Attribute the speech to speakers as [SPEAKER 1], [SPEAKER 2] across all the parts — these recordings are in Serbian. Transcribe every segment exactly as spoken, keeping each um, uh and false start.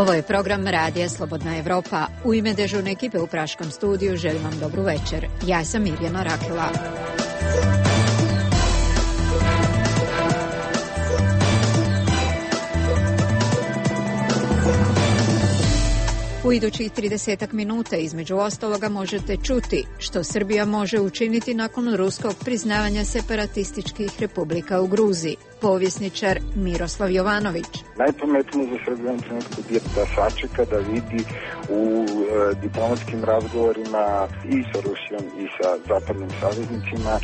[SPEAKER 1] Ovo je program Radija Slobodna Evropa. U ime dežurne ekipe u Praškom studiju želim vam dobru večer. Ja sam Mirjana Rakela. U idućih tridesetak minuta između ostaloga možete čuti što Srbija može učiniti nakon ruskog priznavanja separatističkih republika u Gruziji. Povjesničar Miroslav Jovanović.
[SPEAKER 2] Najpametnije za Srbiju u ovom trenutku je da sačeka, da vidi u e, diplomatskim razgovorima i sa Rusijom i sa zapadnim saveznicima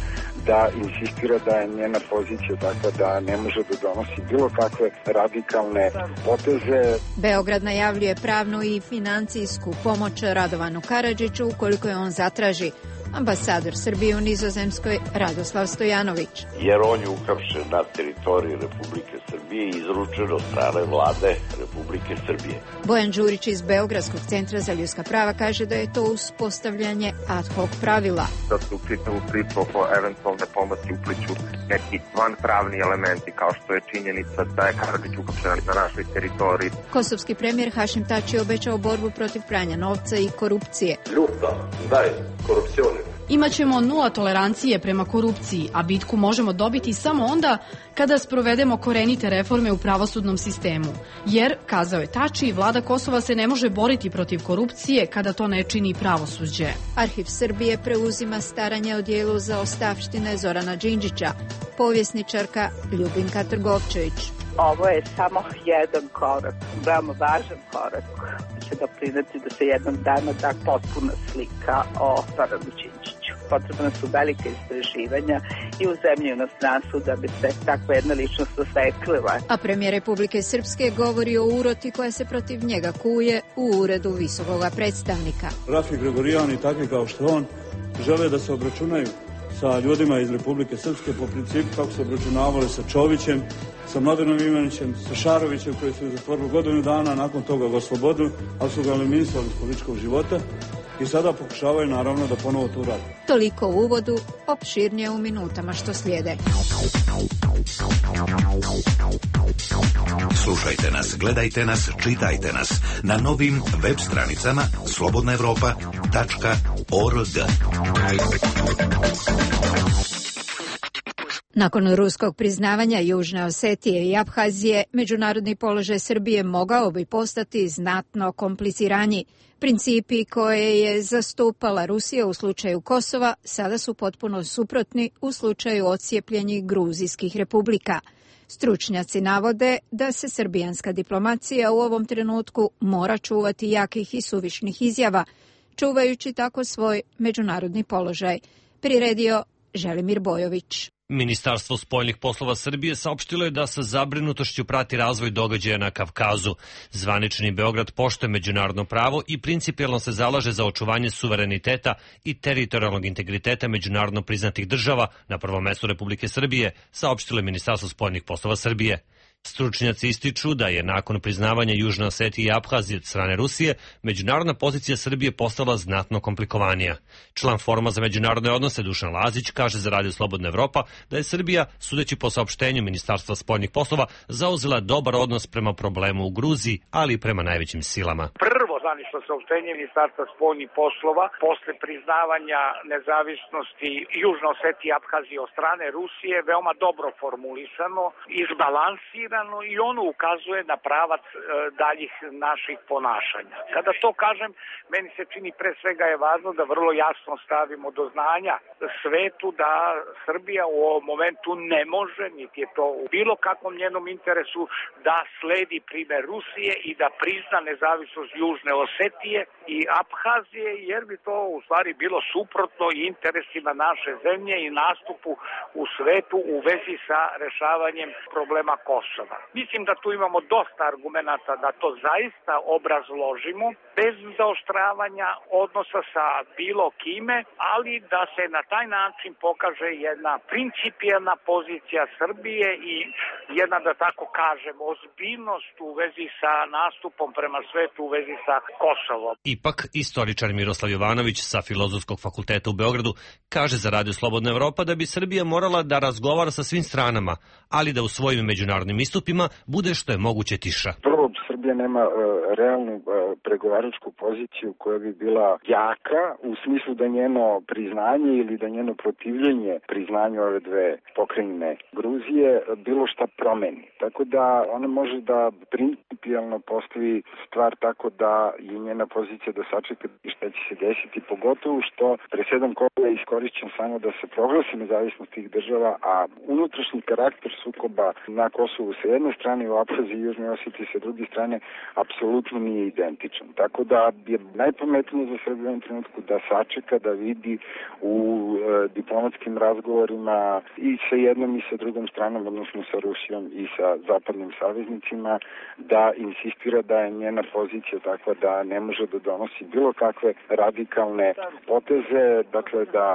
[SPEAKER 2] da insistira da je njena pozicija takva da ne može da donosi bilo kakve radikalne poteze.
[SPEAKER 1] Beograd najavljuje pravnu i financijsku pomoć Radovanu Karadžiću ukoliko je on zatraži. Ambasador Srbije u Nizozemskoj Radoslav Stojanović.
[SPEAKER 3] Jer on je uhapšen na teritoriji Republike Srbije i izručen od strane vlade Republike Srbije.
[SPEAKER 1] Bojan Đurić iz Beogradskog centra za ljudska prava kaže da je to uspostavljanje ad hoc pravila.
[SPEAKER 4] Da se u čitavu priču oko eventualne pomoći upliću neki vanpravni elementi kao što je činjenica da je Karadžić uhapšen na našoj teritoriji.
[SPEAKER 1] Kosovski premijer Hašim Tači je obećao borbu protiv pranja novca i korupcije.
[SPEAKER 3] Ljuta, daj, korupcione.
[SPEAKER 5] Imaćemo nula tolerancije prema korupciji, a bitku možemo dobiti samo onda kada sprovedemo korenite reforme u pravosudnom sistemu. Jer, kazao je Tači, vlada Kosova se ne može boriti protiv korupcije kada to ne čini pravosuđe.
[SPEAKER 1] Arhiv Srbije preuzima staranje o dijelu za ostavštine Zorana Đinđića. Povjesničarka Ljubinka Trgovčević.
[SPEAKER 6] Ovo je samo jedan korak, veoma važan korak će doprineti da se jednog dana da potpuna slika o Zoranu Đinđiću. Potrebna su velike istraživanja i u zemlji i u inostranstvu da bi se takva jedna ličnost osvetlila.
[SPEAKER 1] A premijer Republike Srpske govori o uroti koja se protiv njega kuje u uredu visokog predstavnika.
[SPEAKER 7] Rafi Gregorijan i takvi kao što on žele da se obračunaju sa ljudima iz Republike Srpske po principu kako se obračunavali sa Čovićem, sa Mladenom Ivanićem, sa Šarovićem koji su zatvorili godinu dana, nakon toga ga oslobodili, ali su ga eliminisali iz političkog života i sada pokušavaju naravno da ponovo to radi.
[SPEAKER 1] Toliko u uvodu, opširnije u minutama što slijede.
[SPEAKER 8] Slušajte nas, gledajte nas, čitajte nas na novim web stranicama slobodna evropa tačka org.
[SPEAKER 1] Nakon ruskog priznavanja Južne Osetije i Abhazije, međunarodni položaj Srbije mogao bi postati znatno kompliciraniji. Principi koje je zastupala Rusija u slučaju Kosova sada su potpuno suprotni u slučaju odcijepljenih gruzijskih republika. Stručnjaci navode da se srbijanska diplomacija u ovom trenutku mora čuvati jakih i suvišnih izjava, čuvajući tako svoj međunarodni položaj. Priredio Želimir Bojović.
[SPEAKER 9] Ministarstvo spoljnih poslova Srbije saopštilo je da sa zabrinutošću prati razvoj događaja na Kavkazu. Zvanični Beograd poštuje međunarodno pravo i principijelno se zalaže za očuvanje suvereniteta i teritorijalnog integriteta međunarodno priznatih država, na prvom mestu Republike Srbije, saopštilo je Ministarstvo spoljnih poslova Srbije. Stručnjaci ističu da je nakon priznavanja Južne Osetije i Abhazije od strane Rusije, međunarodna pozicija Srbije postala znatno komplikovanija. Član Foruma za međunarodne odnose Dušan Lazić kaže za Radio Slobodna Evropa da je Srbija, sudeći po saopštenju Ministarstva spoljnih poslova, zauzela dobar odnos prema problemu u Gruziji, ali i prema najvećim silama.
[SPEAKER 10] Prvo zvanično saopštenje Ministarstva spoljnih poslova posle priznavanja nezavisnosti Južne Osetije i Abhazije od strane Rusije veoma dobro formulisano, izbalansirano i ono ukazuje na pravac e, daljih naših ponašanja. Kada to kažem, meni se čini pre svega je važno da vrlo jasno stavimo do znanja svetu da Srbija u ovom momentu ne može, niti je to u bilo kakvom njenom interesu, da sledi primer Rusije i da prizna nezavisnost Južne Osetije i Abhazije, jer bi to u stvari bilo suprotno i interesima naše zemlje i nastupu u svetu u vezi sa rešavanjem problema Kosova. Mislim da tu imamo dosta argumenata da to zaista obrazložimo bez zaoštravanja odnosa sa bilo kime, ali da se na taj način pokaže jedna principijelna pozicija Srbije i jedna, da tako kažem, ozbiljnost u vezi sa nastupom prema svetu, u vezi sa Kosovo.
[SPEAKER 9] Ipak, istoričar Miroslav Jovanović sa Filozofskog fakulteta u Beogradu kaže za Radio Slobodna Evropa da bi Srbija morala da razgovara sa svim stranama, ali da u svojim međunarodnim istupima bude što je moguće tiša.
[SPEAKER 2] Prvo, Srbija nema uh, realnu uh, pregovaračku poziciju koja bi bila jaka u smislu da njeno priznanje ili da njeno protivljenje priznanju ove dve pokrajine Gruzije bilo šta promeni. Tako da ona može da principijalno postavi stvar tako da je njena pozicija da sačeka šta će se desiti, pogotovo što presedan koga je iskorišćen samo da se proglasi nezavisnost tih država, a unutrašnji karakter sukoba na Kosovu sa jedne strane i u Apaziji i Južnoj Osetiji sa druge strane apsolutno nije identičan. Tako da je najpametnije za Srbiju u ovom trenutku da sačeka, da vidi u e, diplomatskim razgovorima i sa jednom i sa drugom stranom, odnosno sa Rusijom i sa zapadnim saveznicima, da insistira da je njena pozicija takva da ne može da donosi bilo kakve radikalne poteze, dakle da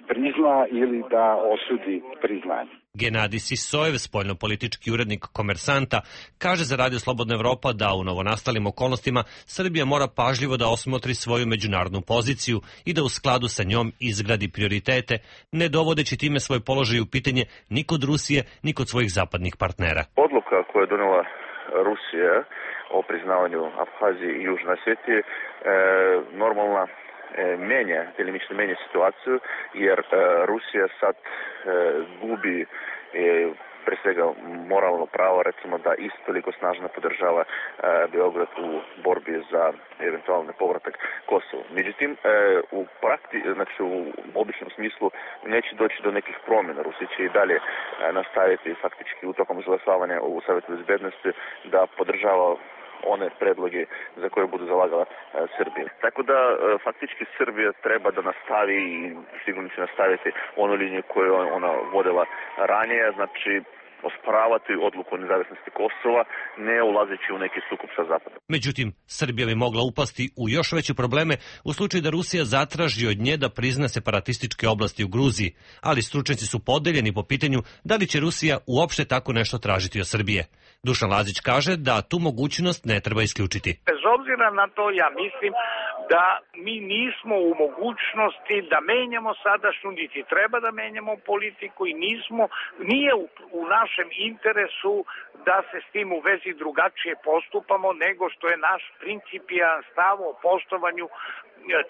[SPEAKER 2] prizna ili da osudi priznanje.
[SPEAKER 9] Genadij Sisojev, spoljnopolitički urednik Komersanta, kaže za Radio Slobodna Evropa da u novonastalim okolnostima Srbija mora pažljivo da osmotri svoju međunarodnu poziciju i da u skladu sa njom izgradi prioritete, ne dovodeći time svoj položaj u pitanje ni kod Rusije, ni kod svojih zapadnih partnera.
[SPEAKER 11] Odluka koju je donela Rusija o priznavanju Abhazije i Južne Osetije e, normalna e, menja, delimično menja situaciju, jer e, Rusija sad e, gubi e, pre svega moralno pravo, recimo da isto toliko snažno podržava e, Beograd u borbi za eventualni povratak Kosovo. Međutim, e, u prakti, znači u običnom smislu neće doći do nekih promjena. Rusija će i dalje e, nastaviti faktički u tokom izglasavanja u Savjetu bezbednosti da podržava one predloge za koje budu zalagala e, Srbija. Tako da e, faktički Srbija treba da nastavi i sigurno će nastaviti onu liniju koju ona vodila ranije, znači osporavati odluku o nezavisnosti Kosova, ne ulazeći u neki sukob sa Zapadom.
[SPEAKER 9] Međutim, Srbija bi mogla upasti u još veće probleme u slučaju da Rusija zatraži od nje da prizna separatističke oblasti u Gruziji, ali stručnjaci su podeljeni po pitanju da li će Rusija uopšte tako nešto tražiti od Srbije. Dušan Lazić kaže da tu mogućnost ne treba isključiti.
[SPEAKER 10] Bez obzira na to, ja mislim da mi nismo u mogućnosti da menjamo sadašnju, niti treba da menjamo politiku i nismo, nije u, u našem interesu da se s tim u vezi drugačije postupamo nego što je naš principijan stav o poštovanju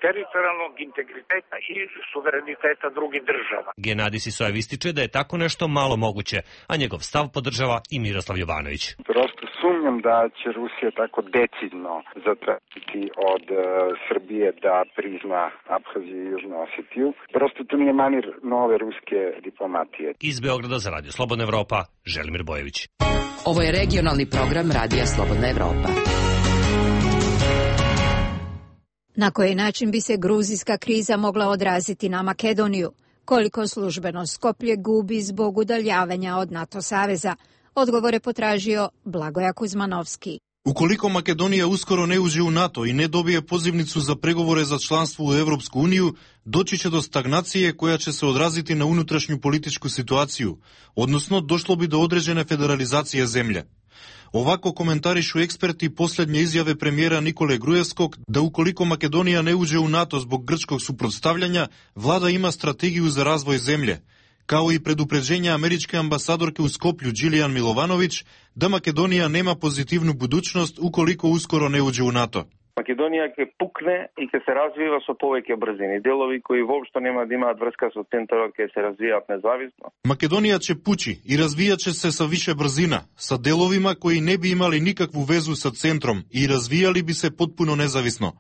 [SPEAKER 10] teritorijalnog integriteta i suvereniteta drugih država.
[SPEAKER 9] Genadij Sisojev ističe da je tako nešto malo moguće, a njegov stav podržava i Miroslav Jovanović.
[SPEAKER 2] Prosto sumnjam da će Rusija tako decidno zatražiti od uh, Srbije da prizna Abhaziju i Južnu Osetiju. Prosto to nije manir nove ruske diplomatije.
[SPEAKER 9] Iz Beograda za Radio Slobodna Evropa, Želimir Bojević.
[SPEAKER 12] Ovo je regionalni program Radija Slobodna Evropa.
[SPEAKER 1] Na koji način bi se gruzijska kriza mogla odraziti na Makedoniju? Koliko službeno Skoplje gubi zbog udaljavanja od NATO saveza? Odgovore potražio Blagoja Kuzmanovski.
[SPEAKER 13] Ukoliko Makedonija uskoro ne uđe u NATO i ne dobije pozivnicu za pregovore za članstvo u Evropsku uniju, doći će do stagnacije koja će se odraziti na unutrašnju političku situaciju, odnosno došlo bi do određene federalizacije zemlje. Ovako komentarišu eksperti posljednje izjave premijera Nikole Grujevskog da ukoliko Makedonija ne uđe u NATO zbog grčkog suprotstavljanja, vlada ima strategiju za razvoj zemlje, kao i predupređenja američke ambasadorke u Skoplju Đilijan Milovanović da Makedonija nema pozitivnu budućnost ukoliko uskoro ne uđe u NATO.
[SPEAKER 14] Македонија ќе пукне и ќе се развива со повеќе брзини. Делови кои воопшто нема да имаат врска со центарот ќе се развијат независно.
[SPEAKER 13] Македонија ќе пучи и развијаче се со више брзина, со деловима кои не би имали никакву везу со центром и развијали би се потпуно независно.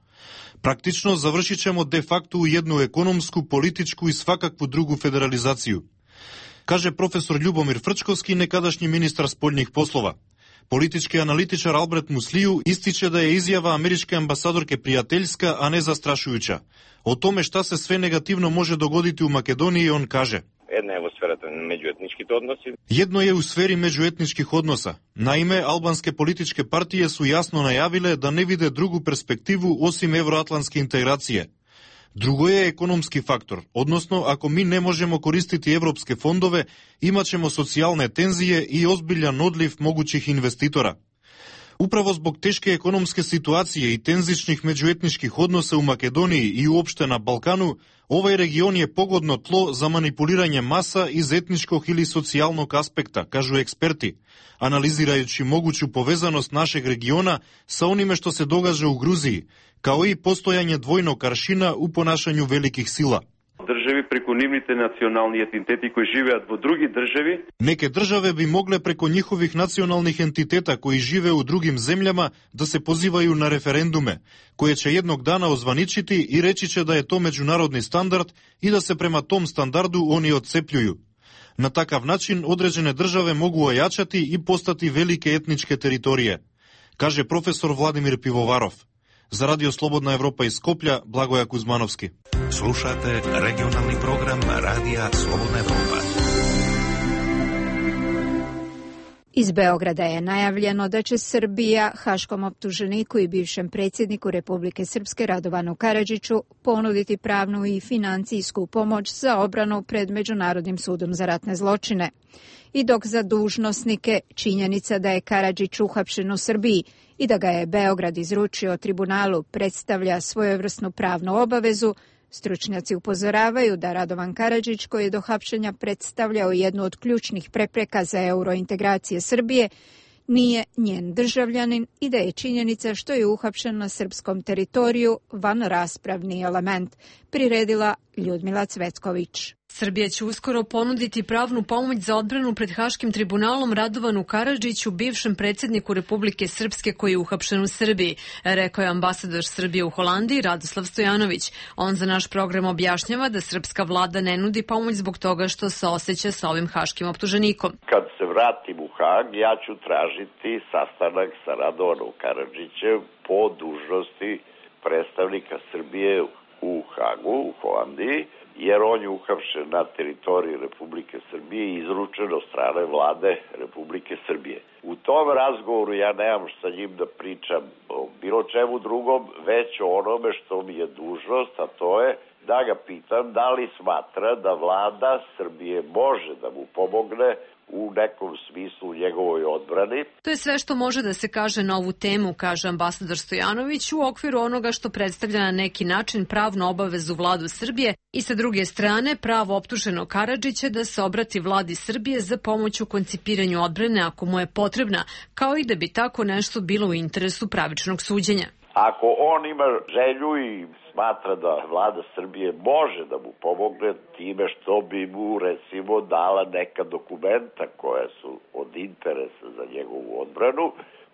[SPEAKER 13] Практично завршичемо де факто у едну економску, политичку и свакакву другу федерализацију, каже професор Љубомир Фрчковски, некадашни министар спољних послова. Политички аналитичар Алберт Муслију истиче да е изјава америчке амбасадорке пријателјска, а не застрашујуча. О томе шта се све негативно може догодити у Македонија, он каже:
[SPEAKER 15] Една е во сферата меѓуетничките односи.
[SPEAKER 13] Едно е у сфери меѓуетничких односа. Наиме, албанске политичке партије су јасно најавиле да не виде другу перспективу осим евроатлантски интеграција. Друго е економски фактор, односно ако ми не можемо користити европске фондове, имачемо социјалне тензije и озбилјан одлив могуćih инвеститора. Upravo zbog teške ekonomske situacije i tenzičnih međuetničkih odnosa u Makedoniji i uopšte na Balkanu, ovaj region je pogodno tlo za manipuliranje masa iz etničkog ili socijalnog aspekta, kažu eksperti, analizirajući moguću povezanost našeg regiona sa onime što se događa u Gruziji, kao i postojanje dvojnog aršina u ponašanju velikih sila.
[SPEAKER 16] Državi preko nивните национални entiteti koji живеат во други држави.
[SPEAKER 13] Neke države bi mogle preko njihovih nacionalnih entiteta koji žive u drugim zemljama da se pozivaju na referendume, koje će jednog dana ozvaničiti i reći će da je to međunarodni standard i da se prema tom standardu oni odcepljuju. Na takav način određene države mogu ojačati i postati velike etničke teritorije, kaže profesor Vladimir Pivovarov. Za Radio Slobodna Evropa iz Skoplja, Blagoja Kuzmanovski.
[SPEAKER 8] Slušate regionalni program Radija Slobodna Evropa.
[SPEAKER 1] Iz Beograda je najavljeno da će Srbija haškom optuženiku i bivšem predsjedniku Republike Srpske Radovanu Karadžiću ponuditi pravnu i financijsku pomoć za obranu pred Međunarodnim sudom za ratne zločine. I dok za dužnosnike činjenica da je Karadžić uhapšen u Srbiji i da ga je Beograd izručio tribunalu predstavlja svojevrsnu pravnu obavezu, stručnjaci upozoravaju da Radovan Karadžić, koji je do hapšenja predstavljao jednu od ključnih prepreka za eurointegracije Srbije, nije njen državljanin i da je činjenica što je uhapšen na srpskom teritoriju van raspravni element, priredila Ljudmila Cvetković.
[SPEAKER 17] Srbija će uskoro ponuditi pravnu pomoć za odbranu pred Haškim tribunalom Radovanu Karadžiću, bivšem predsjedniku Republike Srpske koji je uhapšen u Srbiji, rekao je ambasador Srbije u Holandiji Radoslav Stojanović. On za naš program objašnjava da srpska vlada ne nudi pomoć zbog toga što se osjeća sa ovim haškim optuženikom.
[SPEAKER 3] Kad se vratim u Hag, ja ću tražiti sastanak sa Radovanom Karadžićem po dužnosti predstavnika Srbije u Hagu, u Holandiji, jer on je uhapšen na teritoriji Republike Srbije i izručen od strane vlade Republike Srbije. U tom razgovoru ja nemam sa njim da pričam o bilo čemu drugom, već o onome što mi je dužnost, a to je da ga pitam da li smatra da vlada Srbije može da mu pomogne u nekom smislu njegovoj odbrani.
[SPEAKER 17] To je sve što može da se kaže na ovu temu, kaže ambasador Stojanović, u okviru onoga što predstavlja na neki način pravnu obavezu vladu Srbije i sa druge strane pravo optuženog Karadžića da se obrati vladi Srbije za pomoć u koncipiranju odbrane ako mu je potrebna, kao i da bi tako nešto bilo u interesu pravičnog suđenja.
[SPEAKER 3] Ako on ima želju i smatra da vlada Srbije može da mu pomogne time što bi mu recimo dala neka dokumenta koja su od interesa za njegovu odbranu,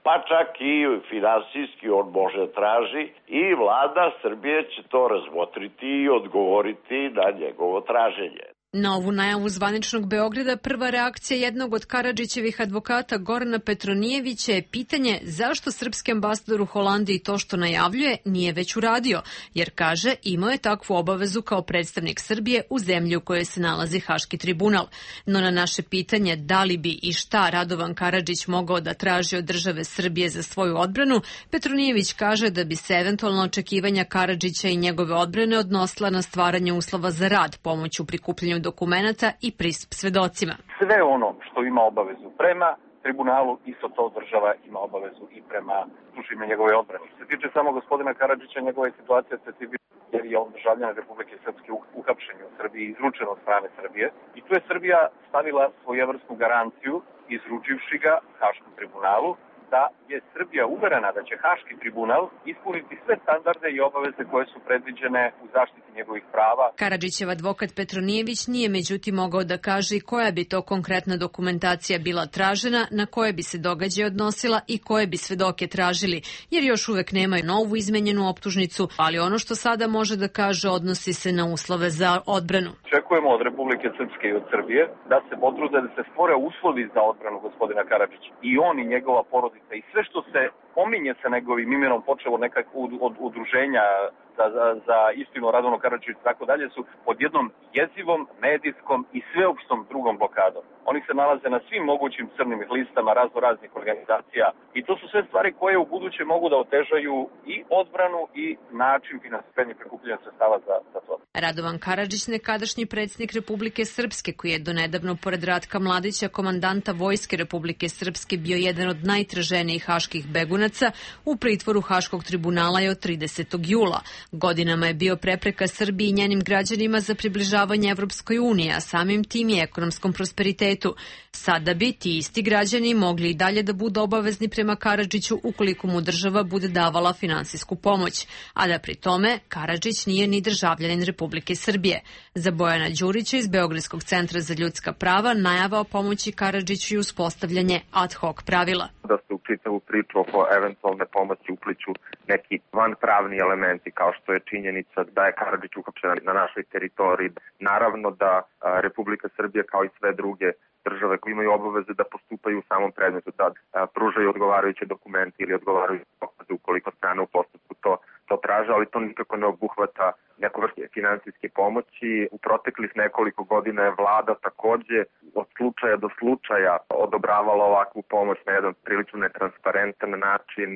[SPEAKER 3] pa čak i finansijski on može da traži i vlada Srbije će to razmotriti i odgovoriti na njegovo traženje.
[SPEAKER 17] Na ovu najavu zvaničnog Beograda prva reakcija jednog od Karadžićevih advokata Gorana Petronijevića je pitanje zašto srpski ambasador u Holandiji to što najavljuje nije već uradio, jer kaže imao je takvu obavezu kao predstavnik Srbije u zemlji u kojoj se nalazi Haški tribunal. No na naše pitanje da li bi i šta Radovan Karadžić mogao da traži od države Srbije za svoju odbranu, Petronijević kaže da bi se eventualno očekivanja Karadžića i njegove odbrane odnosila na stvaranje uslova za rad, pomoć u prikupljanju dokumenata i pristup svedocima.
[SPEAKER 14] Sve ono što ima obavezu prema tribunalu, isto to država ima obavezu i prema službima njegove odbrane. Što se tiče samo gospodina Karadžića, njegova je situacija specifična jer je on državljan Republike Srpske uhapšen u Srbiji, izručen od strane Srbije i tu je Srbija stavila svojevrsnu garanciju izručivši ga Haškom tribunalu da je Srbija uverena da će Haški tribunal ispuniti sve standarde i obaveze koje su predviđene u zaštiti njegovih prava.
[SPEAKER 17] Karadžićev advokat Petronijević nije međutim mogao da kaže koja bi to konkretna dokumentacija bila tražena, na koje bi se događaje odnosila i koje bi svedoke tražili, jer još uvek nemaju novu izmenjenu optužnicu, ali ono što sada može da kaže odnosi se na uslove za odbranu.
[SPEAKER 14] Očekujemo od Republike Srpske i od Srbije da se potrude da se stvore uslovi za odbranu gospodina Karadžića i on i njegova porodica i sve što se pominje sa njegovim imenom, počelo nekako od, od udruženja za, za, za istinu Radovanu Karadžiću i tako dalje, su pod jednom jezivom, medijskom i sveopštom drugom blokadom. Oni se nalaze na svim mogućim crnim listama razno raznih organizacija i to su sve stvari koje u buduće mogu da otežaju i odbranu i način finansiranja i prikupljanja sredstava za, za to.
[SPEAKER 17] Radovan Karadžić, nekadašnji predsjednik Republike Srpske, koji je donedavno pored Ratka Mladića, komandanta Vojske Republike Srpske, bio jedan od najtraženijih haških begunaca, u pritvoru Haškog tribunala je od tridesetog jula. Godinama je bio prepreka Srbiji i njenim građanima za približavanje Evropskoj uniji, a samim tim i ekonomskom prosperitetu. Sada bi ti isti građani mogli i dalje da budu obavezni prema Karadžiću ukoliko mu država bude davala finansijsku pomoć, a da pri tome Karadžić nije ni državljanin Republike Srbije. Za Bojana Đurića iz Beogradskog centra za ljudska prava najava o pomoći Karadžiću i uspostavljanje ad hoc pravila.
[SPEAKER 4] Da se u čitavu priču oko eventualne pomoći upliću neki vanpravni elementi kao što je činjenica da je Karadžić uhapšen na našoj teritoriji. Naravno da Republika Srbija kao i sve druge države koji imaju obaveze da postupaju u samom predmetu, da pružaju odgovarajuće dokumente ili odgovarajuće dokaze ukoliko strane u postupku to, to traže, ali to nikako ne obuhvata neku vrstu finansijske pomoći. U proteklih nekoliko godina je vlada takođe od slučaja do slučaja odobravala ovakvu pomoć na jedan prilično netransparentan način,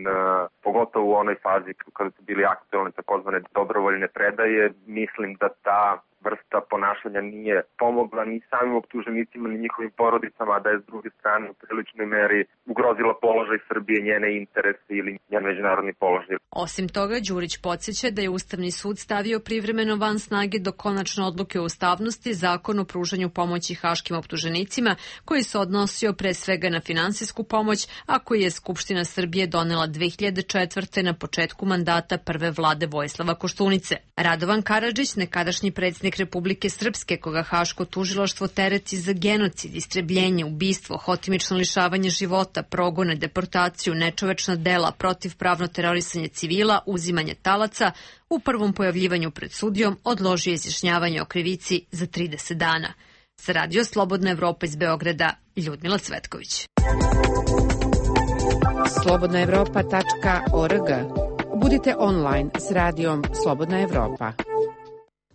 [SPEAKER 4] pogotovo u onoj fazi kada su bili aktualne takozvane dobrovoljne predaje. Mislim da ta vrsta ponašanja nije pomogla ni samim optuženicima ni njihovim porodicama, a da je s druge strane u priličnoj meri ugrozila položaj Srbije, njene interese ili njen međunarodni položaj.
[SPEAKER 17] Osim toga, Đurić podsjeća da je Ustavni sud stavio privremeno van snage do konačne odluke o ustavnosti Zakon o pružanju pomoći haškim optuženicima, koji se odnosio pre svega na finansijsku pomoć, a koji je Skupština Srbije donela dve hiljade četvrte. na početku mandata prve vlade Vojislava Koštunice. Radovan Karadžić, nekadašnji predsjednik Republike Srpske, koga Haško tužilaštvo tereti za genocid, istrebljenje, ubistvo, hotimično lišavanje života, progone, deportaciju, nečovečna dela, protivpravno terorisanje civila, uzimanje talaca, u prvom pojavljivanju pred sudijom odložio izjašnjavanje o krivici za trideset dana. Za Radio Slobodna Evropa iz Beograda, Ljudmila Cvetković.
[SPEAKER 18] slobodna evropa tačka org. Budite online s radijom Slobodna Evropa.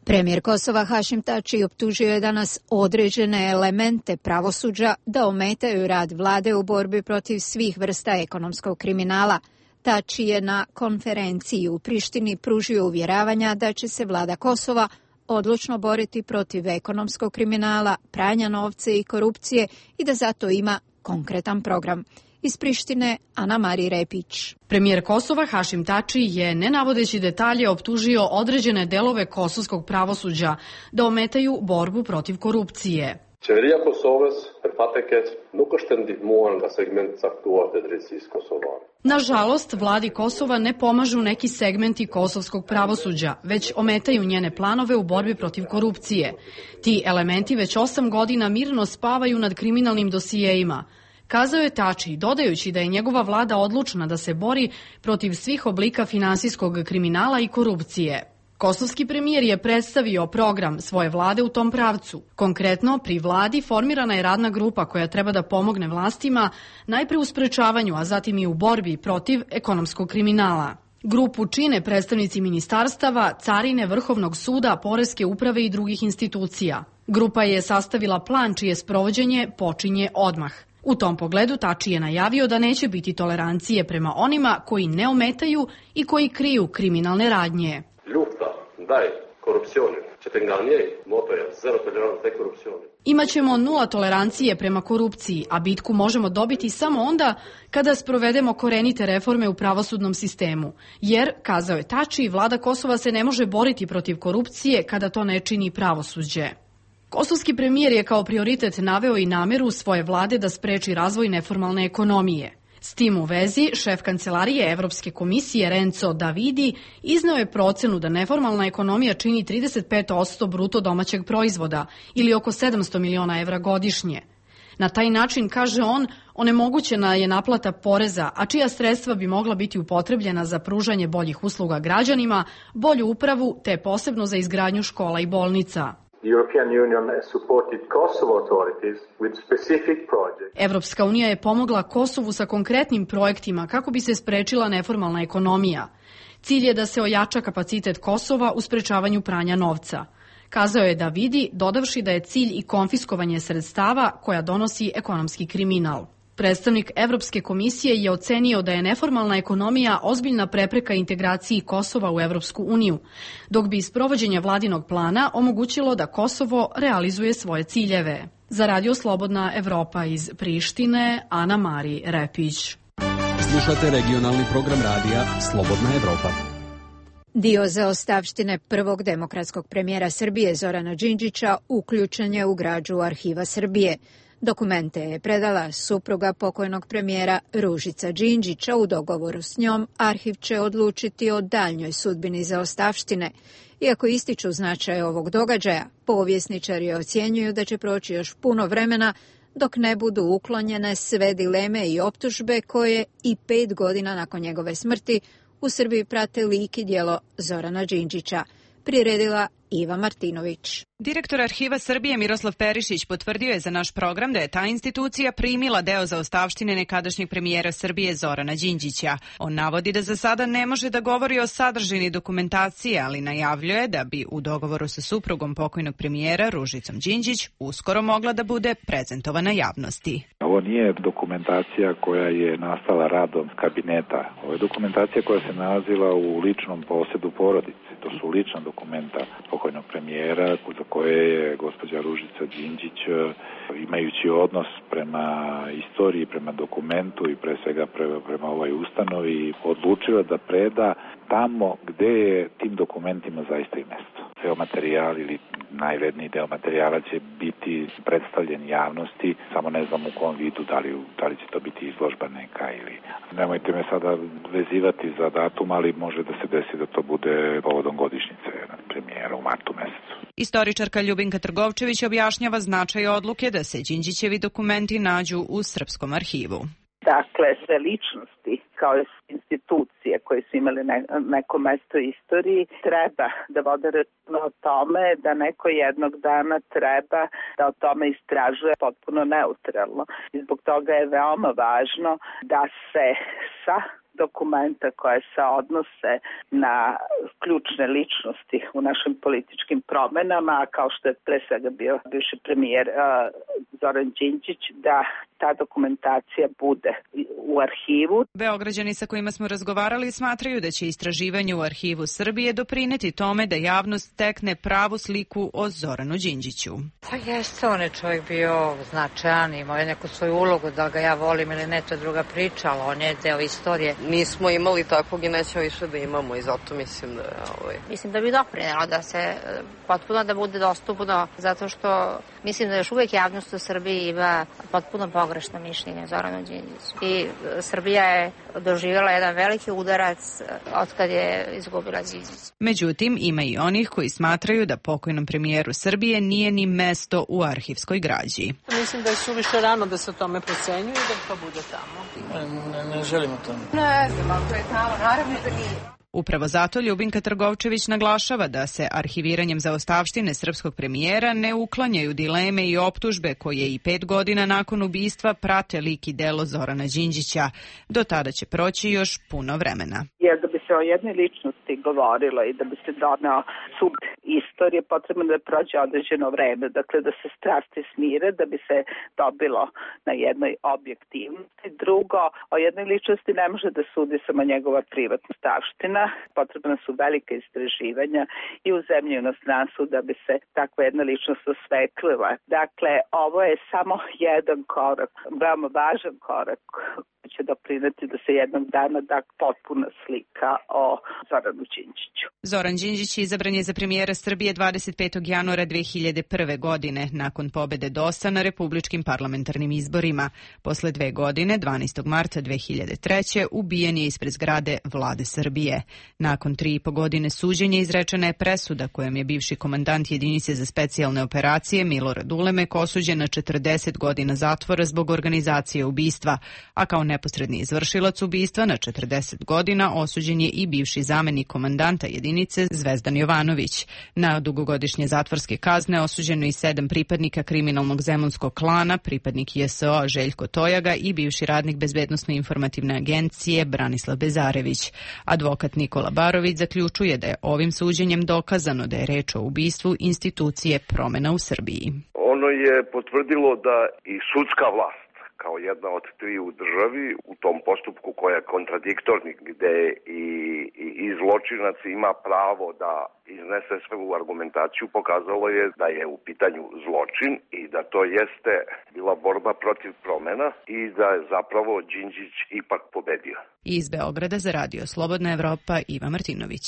[SPEAKER 1] Premijer Kosova Hašim Tači optužio je danas određene elemente pravosuđa da ometaju rad vlade u borbi protiv svih vrsta ekonomskog kriminala. Tači je na konferenciji u Prištini pružio uvjeravanja da će se vlada Kosova odlučno boriti protiv ekonomskog kriminala, pranja novca i korupcije i da zato ima konkretan program. Iz Prištine, Ana Mari Repić.
[SPEAKER 5] Premijer Kosova Hašim Tači je, ne navodeći detalje, optužio određene delove kosovskog pravosuđa da ometaju borbu protiv korupcije.
[SPEAKER 19] Qeveria Kosovës për fat e keq nuk është ndihmuar nga segment caktuar të drejtësisë kosovare.
[SPEAKER 5] Nažalost, vladi Kosova ne pomažu neki segmenti kosovskog pravosuđa, već ometaju njene planove u borbi protiv korupcije. Ti elementi već osam godina mirno spavaju nad kriminalnim dosijejima, kazao je Tači, dodajući da je njegova vlada odlučna da se bori protiv svih oblika finansijskog kriminala i korupcije. Kosovski premijer je predstavio program svoje vlade u tom pravcu. Konkretno, pri vladi formirana je radna grupa koja treba da pomogne vlastima najpre u sprečavanju, a zatim i u borbi protiv ekonomskog kriminala. Grupu čine predstavnici ministarstava, carine, Vrhovnog suda, poreske uprave i drugih institucija. Grupa je sastavila plan čije sprovođenje počinje odmah. U tom pogledu Tači je najavio da neće biti tolerancije prema onima koji ne ometaju i koji kriju kriminalne radnje.
[SPEAKER 19] Lufta ndaj korupcioni që të nga njej moto je zero tolerancë ndaj korupcioni.
[SPEAKER 5] Imaćemo nula tolerancije prema korupciji, a bitku možemo dobiti samo onda kada sprovedemo korenite reforme u pravosudnom sistemu. Jer, kazao je Tači, vlada Kosova se ne može boriti protiv korupcije kada to ne čini pravosuđe. Kosovski premijer je kao prioritet naveo i nameru svoje vlade da spreči razvoj neformalne ekonomije. S tim u vezi, šef kancelarije Evropske komisije Renzo Davidi izneo je procenu da neformalna ekonomija čini trideset pet posto bruto domaćeg proizvoda ili oko sedamsto miliona evra godišnje. Na taj način, kaže on, onemogućena je naplata poreza, a čija sredstva bi mogla biti upotrebljena za pružanje boljih usluga građanima, bolju upravu te posebno za izgradnju škola i bolnica. Evropska unija je pomogla Kosovu sa konkretnim projektima kako bi se sprečila neformalna ekonomija. Cilj je da se ojača kapacitet Kosova u sprečavanju pranja novca. Kazao je Davidi, dodavši da je cilj i konfiskovanje sredstava koja donosi ekonomski kriminal. Predstavnik Evropske komisije je ocenio da je neformalna ekonomija ozbiljna prepreka integraciji Kosova u Evropsku uniju, dok bi sprovođenje vladinog plana omogućilo da Kosovo realizuje svoje ciljeve. Za Radio Slobodna Evropa iz Prištine, Ana Mari Repić.
[SPEAKER 20] Slušate regionalni program radija Slobodna Evropa.
[SPEAKER 1] Dio zaostavštine prvog demokratskog premijera Srbije Zorana Đinđića uključen je u građu Arhiva Srbije. Dokumente je predala supruga pokojnog premijera Ružica Đinđića. U dogovoru s njom arhiv će odlučiti o daljnjoj sudbini zaostavštine. Iako ističu značaj ovog događaja, povjesničari ocjenjuju da će proći još puno vremena dok ne budu uklonjene sve dileme i optužbe koje i pet godina nakon njegove smrti u Srbiji prate lik i djelo Zorana Đinđića. Priredila Iva Martinović.
[SPEAKER 21] Direktor Arhiva Srbije Miroslav Perišić potvrdio je za naš program da je ta institucija primila deo zaostavštine nekadašnjeg premijera Srbije Zorana Đinđića. On navodi da za sada ne može da govori o sadržini dokumentacije, ali najavljuje da bi u dogovoru sa suprugom pokojnog premijera Ružicom Đinđić uskoro mogla da bude prezentovana javnosti.
[SPEAKER 22] Ovo nije dokumentacija koja je nastala radom kabineta. Ovo je dokumentacija koja se nalazila u ličnom posedu porodice. To su lična dokumenta pokojnog premijera za koje je gospođa Ružica Đinđić, imajući odnos prema istoriji, prema dokumentu i pre svega prema, prema ovoj ustanovi, odlučila da preda tamo gde je tim dokumentima zaista i mesto. Ceo materijal ili najvredniji deo materijala će biti predstavljen javnosti, samo ne znam u kom vidu, da li, da li će to biti izložba neka ili... Nemojte me sada vezivati za datum, ali može da se desi da to bude povodom godišnjice premijera u martu mesecu.
[SPEAKER 21] Istoričarka Ljubinka Trgovčević objašnjava značaj odluke da se Đinđićevi dokumenti nađu u Srpskom arhivu.
[SPEAKER 6] Dakle, sve ličnosti kao institucije koje su imali ne, neko mesto u istoriji treba da vode računa o tome da neko jednog dana treba da o tome istražuje potpuno neutralno. I zbog toga je veoma važno da se sa dokumenta koje se odnose na ključne ličnosti u našim političkim promenama, kao što je pre svega bio bivši premijer uh, Zoran Đinđić, da ta dokumentacija bude u arhivu.
[SPEAKER 21] Beograđani sa kojima smo razgovarali smatraju da će istraživanje u Arhivu Srbije doprineti tome da javnost stekne pravu sliku o Zoranu Đinđiću.
[SPEAKER 23] Pa jeste, on je čovjek bio značajan, imao je neku svoju ulogu, da ga ja volim ili ne, to je druga priča, ali on je deo istorije.
[SPEAKER 24] Nismo imali takvog i nećemo više da imamo i zato mislim da je... Ovaj...
[SPEAKER 23] Mislim da bi doprinelo da se potpuno da bude dostupno, zato što mislim da još uvijek javnost u Srbiji ima potpuno pogrešno mišljenje Zoranu Đinđiću. I Srbija je doživjela jedan veliki udarac od kad je izgubila Đinđić.
[SPEAKER 21] Međutim, ima i onih koji smatraju da pokojnom premijeru Srbije nije ni mesto u arhivskoj građi.
[SPEAKER 24] Mislim da je suviše rano da se o tome procenjuje i da to bude tamo.
[SPEAKER 23] Ne, ne želim o tome.
[SPEAKER 24] Ne znam, ako je tamo, naravno da nije.
[SPEAKER 21] Upravo zato Ljubinka Trgovčević naglašava da se arhiviranjem zaostavštine srpskog premijera ne uklanjaju dileme i optužbe koje i pet godina nakon ubistva prate lik i delo Zorana Đinđića. Do tada će proći još puno vremena.
[SPEAKER 6] Jer da bi se o jednoj ličnosti govorilo i da bi se doneo sud istorije, potrebno da prođe određeno vreme. Dakle, da se strasti smire, da bi se dobilo na jednoj objektivnosti. Drugo, o jednoj ličnosti ne može da sudi samo njegova privatna stavština. Potrebna su velike istraživanja i u zemlji i u inostranstvu da bi se takva jedna ličnost osvetlila. Dakle, ovo je samo jedan korak, veoma važan korak će doprineti da se jednog dana da potpuna slika o Zoranu Đinđiću.
[SPEAKER 21] Zoran Đinđić izabran je za premijera Srbije dvadeset petog januara dve hiljade prve. godine, nakon pobede D O S A na republičkim parlamentarnim izborima. Posle dve godine, dvanaestog marta dve hiljade treće. ubijen je ispred zgrade Vlade Srbije. Nakon tri i po godine suđenja izrečena je presuda kojom je bivši komandant jedinice za specijalne operacije Milorad Ulemek osuđen na četrdeset godina zatvora zbog organizacije ubistva, a kao neposredni izvršilac ubistva na četrdeset godina osuđen je i bivši zamenik komandanta jedinice Zvezdan Jovanović. Na dugogodišnje zatvorske kazne osuđeno i sedam pripadnika kriminalnog zemunskog klana, pripadnik J S O Željko Tojaga i bivši radnik Bezbednosno-informativne agencije Branislav Bezarević. Advokat Nikola Barović zaključuje da je ovim suđenjem dokazano da je reč o ubistvu institucije Promena u Srbiji.
[SPEAKER 25] Ono je potvrdilo da i sudska vlast
[SPEAKER 2] kao jedna od tri u državi u tom postupku koja je kontradiktorni, gde i, i, i zločinac ima pravo da iznese svoju argumentaciju, pokazalo je da je u pitanju zločin i da to jeste bila borba protiv promena i da je zapravo Đinđić ipak pobedio.
[SPEAKER 21] Iz Beograda za radio Slobodna Evropa Iva Martinović.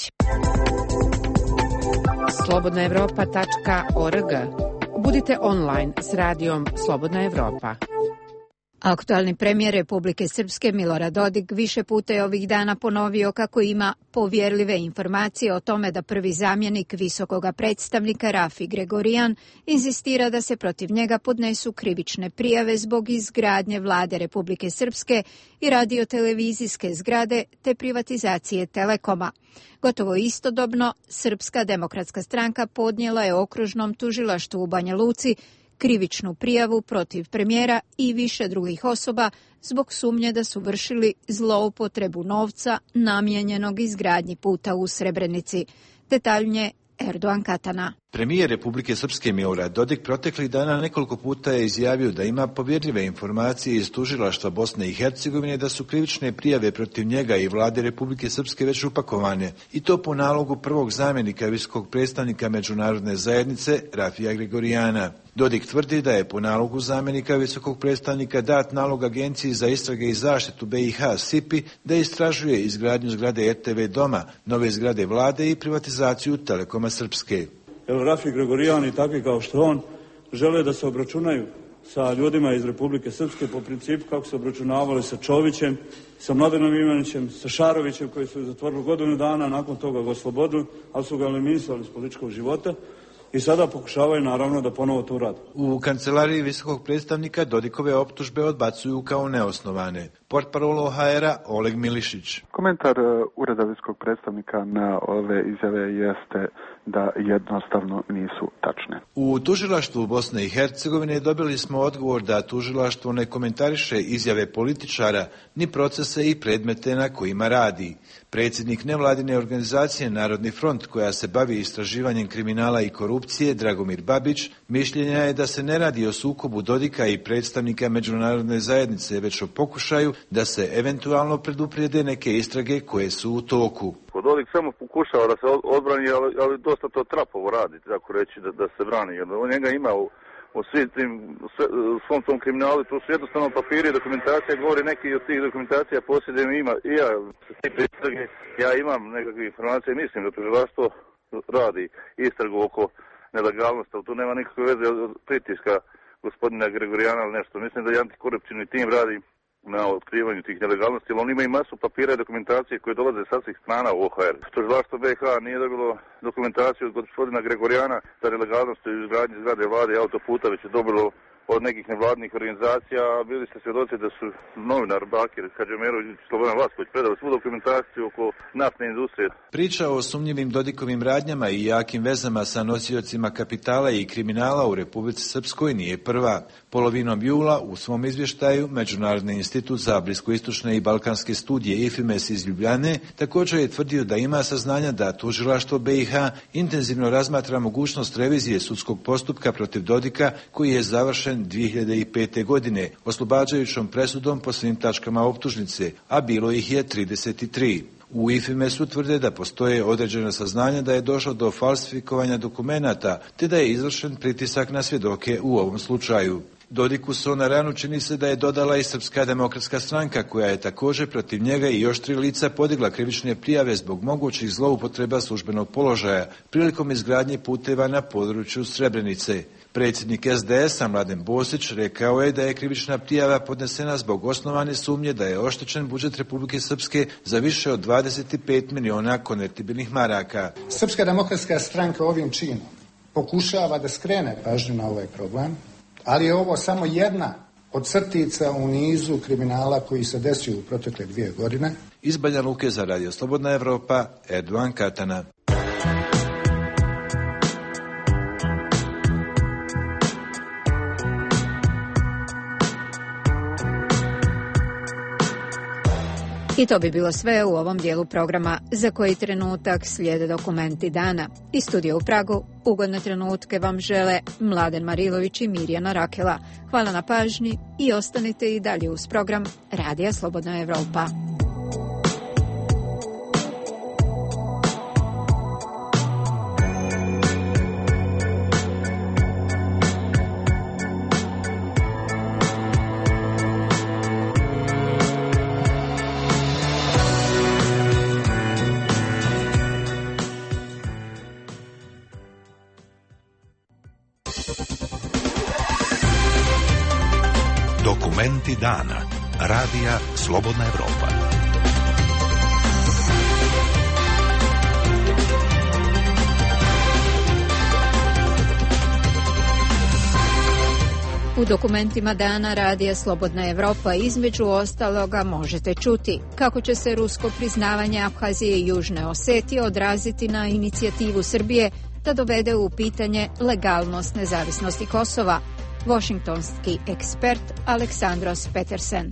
[SPEAKER 18] slobodna evropa tačka org. Budite online s radijom Slobodna Evropa.
[SPEAKER 1] Aktualni premijer Republike Srpske Milorad Dodik više puta je ovih dana ponovio kako ima povjerljive informacije o tome da prvi zamjenik visokoga predstavnika Rafi Gregorijan insistira da se protiv njega podnesu krivične prijave zbog izgradnje vlade Republike Srpske i radiotelevizijske zgrade te privatizacije Telekoma. Gotovo istodobno, Srpska demokratska stranka podnijela je okružnom tužilaštvu u Banja Luci krivičnu prijavu protiv premijera i više drugih osoba zbog sumnje da su vršili zloupotrebu novca namijenjenog izgradnji puta u Srebrenici. Detaljnije Erdogan Katana.
[SPEAKER 7] Premijer Republike Srpske Milorad Dodik proteklih dana nekoliko puta je izjavio da ima povjerljive informacije iz tužilaštva Bosne i Hercegovine da su krivične prijave protiv njega i vlade Republike Srpske već upakovane, i to po nalogu prvog zamjenika visokog predstavnika međunarodne zajednice Rafija Gregorijana. Dodik tvrdi da je po nalogu zamjenika visokog predstavnika dat nalog Agenciji za istrage i zaštitu B i H S I P I da istražuje izgradnju zgrade R T V Doma, nove zgrade vlade i privatizaciju Telekoma Srpske.
[SPEAKER 10] Jer Rafi Gregorijan i takvi kao što on žele da se obračunaju sa ljudima iz Republike Srpske po principu kako se obračunavali sa Čovićem, sa Mladenom Ivanićem, sa Šarovićem koji su zatvorili godinu dana, nakon toga ga oslobodili, ali su ga eliminisali iz političkog života. I sada pokušavaju naravno da ponovo to urade.
[SPEAKER 7] U kancelariji visokog predstavnika Dodikove optužbe odbacuju kao neosnovane. Portparol O H R-a Oleg Milišić.
[SPEAKER 11] Komentar Ureda visokog predstavnika na ove izjave jeste da jednostavno nisu tačne.
[SPEAKER 7] U tužilaštvu Bosne i Hercegovine dobili smo odgovor da tužilaštvo ne komentariše izjave političara ni procese i predmete na kojima radi. Predsjednik nevladine organizacije Narodni front, koja se bavi istraživanjem kriminala i korupcije, Dragomir Babić, mišljenja je da se ne radi o sukobu Dodika i predstavnika međunarodne zajednice, već o pokušaju da se eventualno preduprijede neke istrage koje su u toku.
[SPEAKER 25] Dodik samo pokušava da se odbrani, ali, ali dosta to trapovo radi, tako reći, da, da se brani. Jer on njega ima u, u svim tim, sve, svom tom kriminalu, to su jednostavno papiri i dokumentacija, govori neki od tih dokumentacija posjedujem ima. I ja, ja imam nekakve informacije, mislim da tužilaštvo radi istragu oko nelegalnosti, ali tu nema nikakve veze od pritiska gospodina Gregorijana ili nešto. Mislim da je antikorupcijni tim radi na otkrivanju tih nelegalnosti, ali on ima i masu papira i dokumentacije koje dolaze sa svih strana u O H R. Tužilaštvo B i H nije dobilo dokumentaciju od gospodina Gregorijana za nelegalnost u izgradnji zgrade vlade i autoputa, već je dobilo od nekih nevladnih organizacija, a bili ste svjedoci da su novinar Bakir Hadžemerović i Slobodan Vasković predali svu dokumentaciju oko naftne industrije.
[SPEAKER 7] Priča o sumnjivim Dodikovim radnjama i jakim vezama sa nosiocima kapitala i kriminala u Republici Srpskoj nije prva. Polovinom jula u svom izvještaju Međunarodni institut za bliskoistočne i balkanske studije I F I M E S iz Ljubljane također je tvrdio da ima saznanja da tužilaštvo B i H intenzivno razmatra mogućnost revizije sudskog postupka protiv Dodika koji je završen dvije hiljade pete. godine oslobađajućom presudom po svim tačkama optužnice, a bilo ih je trideset tri. U I F I M E S-u tvrde da postoje određena saznanja da je došlo do falsifikovanja dokumenata, te da je izvršen pritisak na svjedoke u ovom slučaju. Dodiku so na ranu čini se da je dodala i Srpska demokratska stranka, koja je također protiv njega i još tri lica podigla krivične prijave zbog mogućih zloupotreba službenog položaja prilikom izgradnje puteva na području Srebrenice. Predsjednik S D S-a Mladen Bosić rekao je da je krivična prijava podnesena zbog osnovane sumnje da je oštećen budžet Republike Srpske za više od dvadeset pet miliona konvertibilnih maraka.
[SPEAKER 26] Srpska demokratska stranka ovim činom pokušava da skrene pažnju na ovaj problem, ali je ovo samo jedna od crtica u nizu kriminala koji se desio u protekle dvije godine.
[SPEAKER 7] Iz Banja Luke za Radio Slobodna Evropa, Erdogan Katana.
[SPEAKER 1] I to bi bilo sve u ovom dijelu programa. Za koji trenutak slijede dokumenti dana. Iz studija u Pragu ugodne trenutke vam žele Mladen Marilović i Mirjana Rakela. Hvala na pažnji i ostanite i dalje uz program Radija Slobodna Evropa.
[SPEAKER 8] Dokumenti dana. Radija Slobodna Evropa.
[SPEAKER 1] U dokumentima dana Radija Slobodna Evropa između ostaloga možete čuti kako će se rusko priznavanje Abhazije i Južne Osetije odraziti na inicijativu Srbije da dovede u pitanje legalnost nezavisnosti Kosova. Washingtonski ekspert Aleksandros Petersen.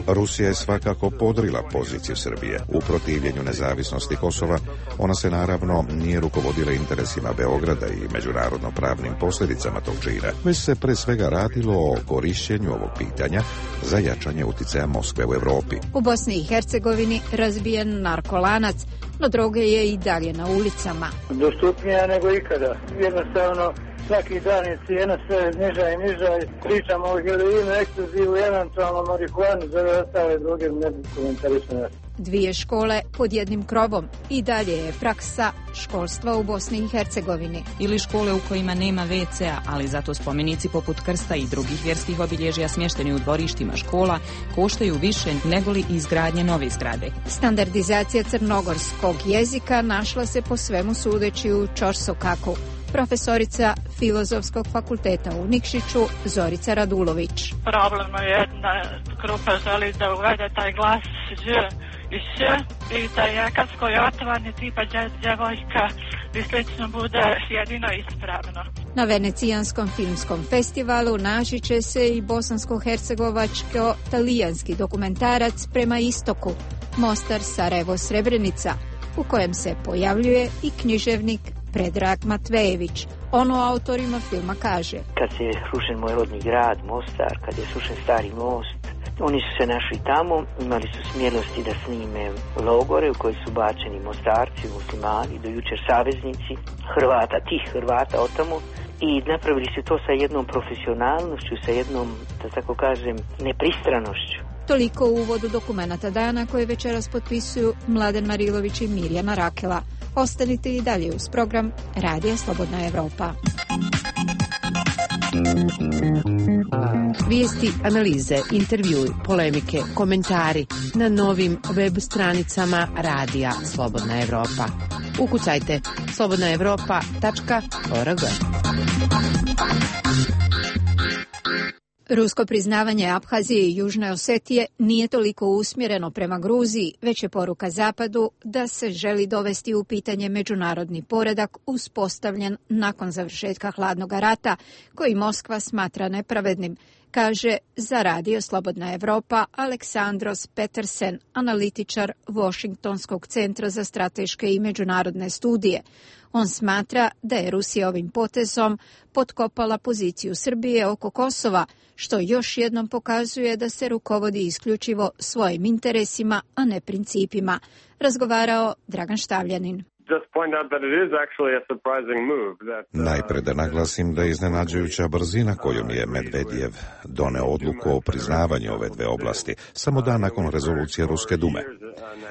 [SPEAKER 9] Rusija je svakako podrila poziciju Srbije u protivljenju nezavisnosti Kosova. Ona se naravno nije rukovodila interesima Beograda i međunarodno pravnim posljedicama tog čina, već se pre svega radilo o korišćenju ovog pitanja za jačanje uticaja Moskve u Evropi.
[SPEAKER 1] U Bosni i Hercegovini razbijen narkolanac, no droge je i dalje na ulicama.
[SPEAKER 12] Dostupnija nego ikada. Jednostavno, svaki dan je cijena sve niža i niža. Pričamo o heroinu, eksplozivu, eventualno marihuanu, za ostale droge ne bi komentarisane.
[SPEAKER 1] Dvije škole pod jednim krovom i dalje je praksa školstva u Bosni i Hercegovini.
[SPEAKER 13] Ili škole u kojima nema ve ce a, ali zato spomenici poput krsta i drugih vjerskih obilježja smješteni u dvorištima škola koštaju više nego li izgradnje nove zgrade.
[SPEAKER 1] Standardizacija crnogorskog jezika našla se po svemu sudeći u Ćorsokaku. Profesorica Filozofskog fakulteta u Nikšiću Zorica Radulović.
[SPEAKER 15] Problem je da grupa želi da uvede taj glas ž i š i da je kad skojotovanje tipa djevojka i slično bude jedino ispravno.
[SPEAKER 1] Na Venecijanskom filmskom festivalu naći će se i bosansko-hercegovačko-talijanski dokumentarac Prema istoku, Mostar, Sarajevo, Srebrenica, u kojem se pojavljuje i književnik Predrag Matvejević. On o autorima filma kaže:
[SPEAKER 16] kad je srušen moj rodni grad, Mostar, kad je srušen stari most, oni su se našli tamo, imali su smjelosti da snime logore u koji su bačeni Mostarci, muslimani, do jučer saveznici Hrvata, tih Hrvata od tamo, i napravili su to sa jednom profesionalnošću, sa jednom, da tako kažem, nepristranošću.
[SPEAKER 1] Toliko u uvodu dokumenata dana koje večeras potpisuju Mladen Marilović i Mirjana Rakela. Ostanite i dalje uz program Radija Slobodna Evropa.
[SPEAKER 18] Vijesti, analize, intervjui, polemike, komentari na novim web stranicama Radija Slobodna Evropa. Ukucajte slobodna evropa tačka org.
[SPEAKER 1] Rusko priznavanje Abhazije i Južne Osetije nije toliko usmjereno prema Gruziji, već je poruka Zapadu da se želi dovesti u pitanje međunarodni poredak uspostavljen nakon završetka hladnog rata, koji Moskva smatra nepravednim, kaže za Radio Slobodna Evropa Aleksandros Petersen, analitičar Washingtonskog centra za strateške i međunarodne studije. On smatra da je Rusija ovim potezom potkopala poziciju Srbije oko Kosova, što još jednom pokazuje da se rukovodi isključivo svojim interesima, a ne principima. Razgovarao Dragan Štavljanin.
[SPEAKER 9] Najpre da naglasim da je iznenađujuća brzina kojom je Medvedjev doneo odluku o priznavanju ove dve oblasti, samo dan nakon rezolucije Ruske dume.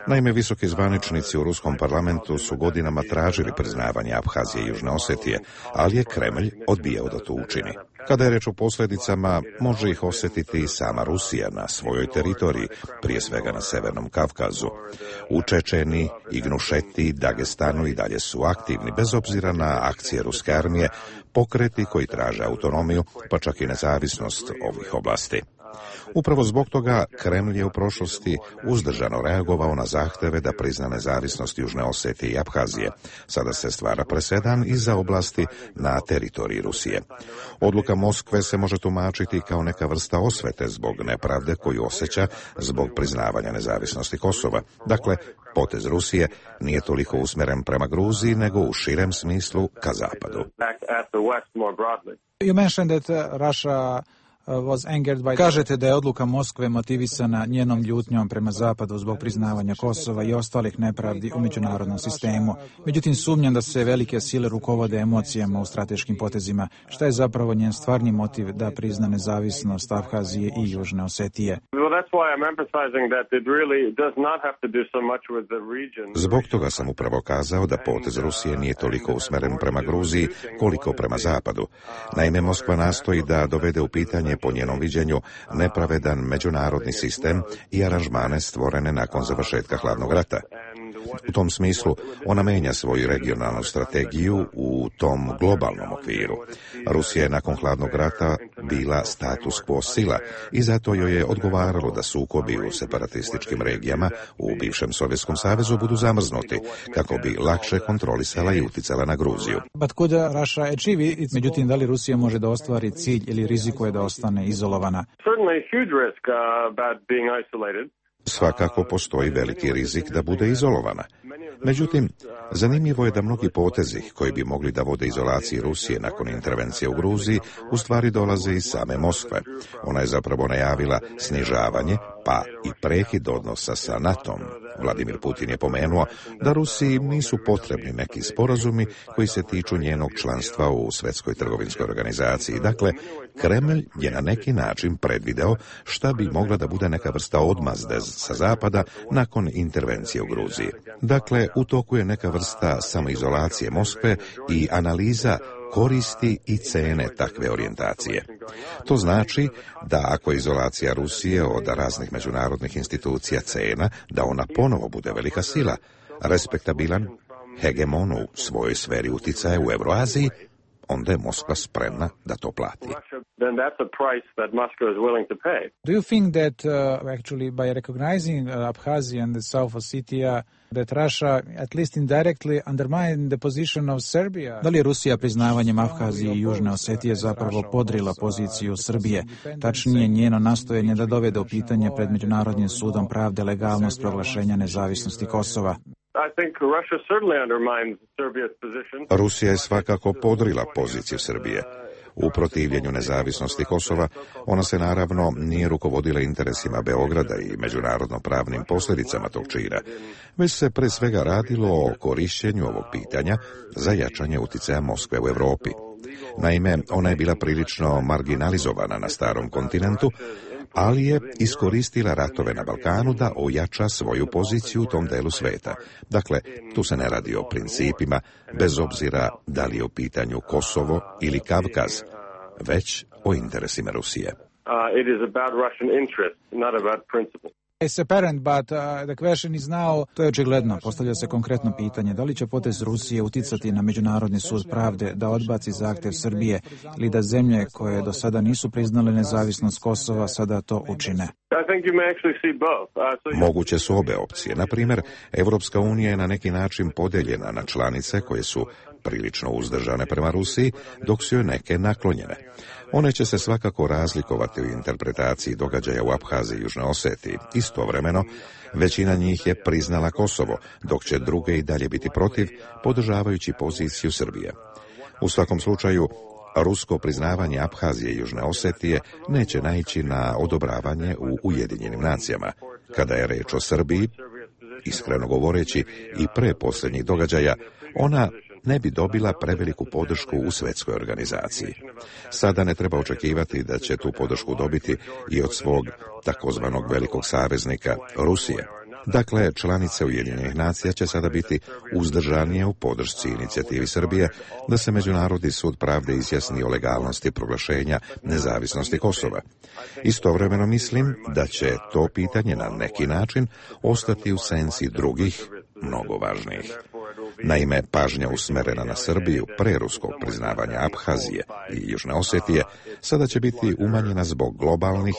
[SPEAKER 9] Naime, visoki zvaničnici u Ruskom parlamentu su godinama tražili priznavanje Abhazije i Južne Osetije, ali je Kremlj odbijao da to učini. Kada je reč o posljedicama, može ih osjetiti i sama Rusija na svojoj teritoriji, prije svega na Severnom Kavkazu. U Čečeni, Ingushetiji, Dagestanu i dalje su aktivni, bez obzira na akcije ruske armije, pokreti koji traže autonomiju, pa čak i nezavisnost ovih oblasti. Upravo zbog toga Kremlj je u prošlosti uzdržano reagovao na zahteve da prizna nezavisnost Južne Osetije i Abhazije. Sada se stvara presedan i za oblasti na teritoriji Rusije. Odluka Moskve se može tumačiti kao neka vrsta osvete zbog nepravde koju osjeća zbog priznavanja nezavisnosti Kosova. Dakle, potez Rusije nije toliko usmjeren prema Gruziji, nego u širem smislu ka zapadu.
[SPEAKER 3] You mentioned that uh, Russia Kažete da je odluka Moskve motivisana njenom ljutnjom prema zapadu zbog priznavanja Kosova i ostalih nepravdi u međunarodnom sistemu. Međutim, sumnjam da se velike sile rukovode emocijama u strateškim potezima. Šta je zapravo njen stvarni motiv da prizna nezavisnost Abhazije i Južne Osetije?
[SPEAKER 9] Zbog toga sam upravo kazao da potez Rusije nije toliko usmeren prema Gruziji koliko prema zapadu. Naime, Moskva nastoji da dovede u pitanje po njenom viđenju nepravedan međunarodni sistem i aranžmane stvorene nakon završetka hladnog rata. U tom smislu ona menja svoju regionalnu strategiju u tom globalnom okviru. Rusija je nakon hladnog rata bila status quo sila i zato joj je odgovaralo da sukobi u separatističkim regijama u bivšem Sovjetskom savezu budu zamrznuti kako bi lakše kontrolisala i uticala na Gruziju.
[SPEAKER 3] But could Russia achieve it? Međutim, da li Rusija može da ostvari cilj ili rizikuje da ostane izolovana?
[SPEAKER 9] Svakako postoji veliki rizik da bude izolovana. Međutim, zanimljivo je da mnogi potezi koji bi mogli da vode izolaciji Rusije nakon intervencije u Gruziji u stvari dolaze iz same Moskve. Ona je zapravo najavila snižavanje pa i prekid odnosa sa NATO-om. Vladimir Putin je pomenuo da Rusiji nisu potrebni neki sporazumi koji se tiču njenog članstva u Svjetskoj trgovinskoj organizaciji. Dakle, Kremlj je na neki način predvideo šta bi mogla da bude neka vrsta odmazde sa zapada nakon intervencije u Gruziji. Dakle, u toku je neka vrsta samoizolacije Moskve i analiza koristi i cene takve orijentacije. To znači da ako je izolacija Rusije od raznih međunarodnih institucija cena, da ona ponovo bude velika sila, respektabilan hegemon u svojoj sferi uticaja u Euroaziji, onda je Moskva spremna da to plati.
[SPEAKER 3] Do you think that uh, actually by recognizing uh, Abkhazia and the South Ossetia that Russia at least indirectly undermined the position of Serbia? Da li je Rusija priznavanjem Abhazije i Južne Osetije zapravo podrila poziciju Srbije, tačnije njeno nastojanje da dovede u pitanje pred Međunarodnim sudom pravde legalnost proglašenja nezavisnosti Kosova?
[SPEAKER 9] Rusija je svakako podrila poziciju Srbije. U protivljenju nezavisnosti Kosova ona se naravno nije rukovodila interesima Beograda i međunarodno pravnim posljedicama tog čina, već se pre svega radilo o korišćenju ovog pitanja za jačanje uticaja Moskve u Europi. Naime, ona je bila prilično marginalizovana na starom kontinentu, ali je iskoristila ratove na Balkanu da ojača svoju poziciju u tom delu sveta. Dakle, tu se ne radi o principima, bez obzira da li je u pitanju Kosovo ili Kavkaz, već o interesima Rusije.
[SPEAKER 3] Uh, it is about Russian interest, not about principle. It's apparent, but uh, the question is now, to je očigledno, postavlja se konkretno pitanje, da li će potez Rusije uticati na Međunarodni sud pravde da odbaci zahtjev Srbije ili da zemlje koje do sada nisu priznale nezavisnost Kosova sada to učine?
[SPEAKER 9] Moguće su obe opcije. Na primjer, Evropska unija je na neki način podeljena na članice koje su prilično uzdržane prema Rusiji, dok su joj neke naklonjene. One će se svakako razlikovati u interpretaciji događaja u Abhaziji i Južnoj Osetiji. Istovremeno, većina njih je priznala Kosovo, dok će druge i dalje biti protiv, podržavajući poziciju Srbije. U svakom slučaju, rusko priznavanje Abhazije i Južne Osetije neće naići na odobravanje u Ujedinjenim nacijama. Kada je reč o Srbiji, iskreno govoreći i pre posljednjih događaja, ona ne bi dobila preveliku podršku u svjetskoj organizaciji. Sada ne treba očekivati da će tu podršku dobiti i od svog takozvanog velikog saveznika Rusije. Dakle, članice Ujedinjenih nacija će sada biti uzdržanije u podršci inicijativi Srbije da se Međunarodni sud pravde izjasni o legalnosti proglašenja nezavisnosti Kosova. Istovremeno mislim da će to pitanje na neki način ostati u senci drugih, mnogo važnijih. Naime, pažnja usmerena na Srbiju pre ruskog priznavanja Abhazije i Južne Osetije sada će biti umanjena zbog globalnih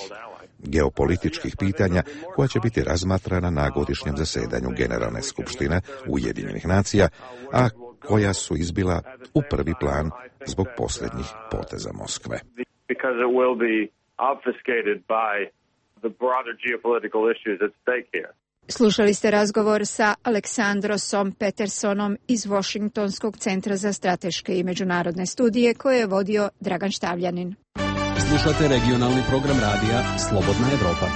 [SPEAKER 9] geopolitičkih pitanja koja će biti razmatrana na godišnjem zasedanju Generalne skupštine Ujedinjenih nacija, a koja su izbila u prvi plan zbog posljednjih poteza Moskve.
[SPEAKER 1] Slušali ste razgovor sa Aleksandrosom Petersonom iz Washingtonskog centra za strateške i međunarodne studije koje je vodio Dragan Štavljanin.
[SPEAKER 4] Slušate regionalni program radija Slobodna Evropa.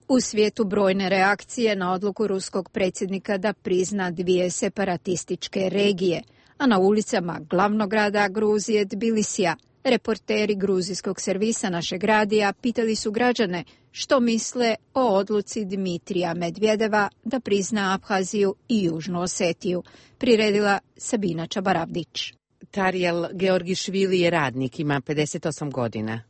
[SPEAKER 1] U svijetu brojne reakcije na odluku ruskog predsjednika da prizna dvije separatističke regije, a na ulicama glavnog grada Gruzije Tbilisija reporteri gruzijskog servisa našeg radija pitali su građane što misle o odluci Dmitrija Medvedeva da prizna Abhaziju i Južnu Osetiju, priredila Sabina Čabaravdić.
[SPEAKER 18] Tarijel Georgišvili je radnik, ima pedeset osam godina.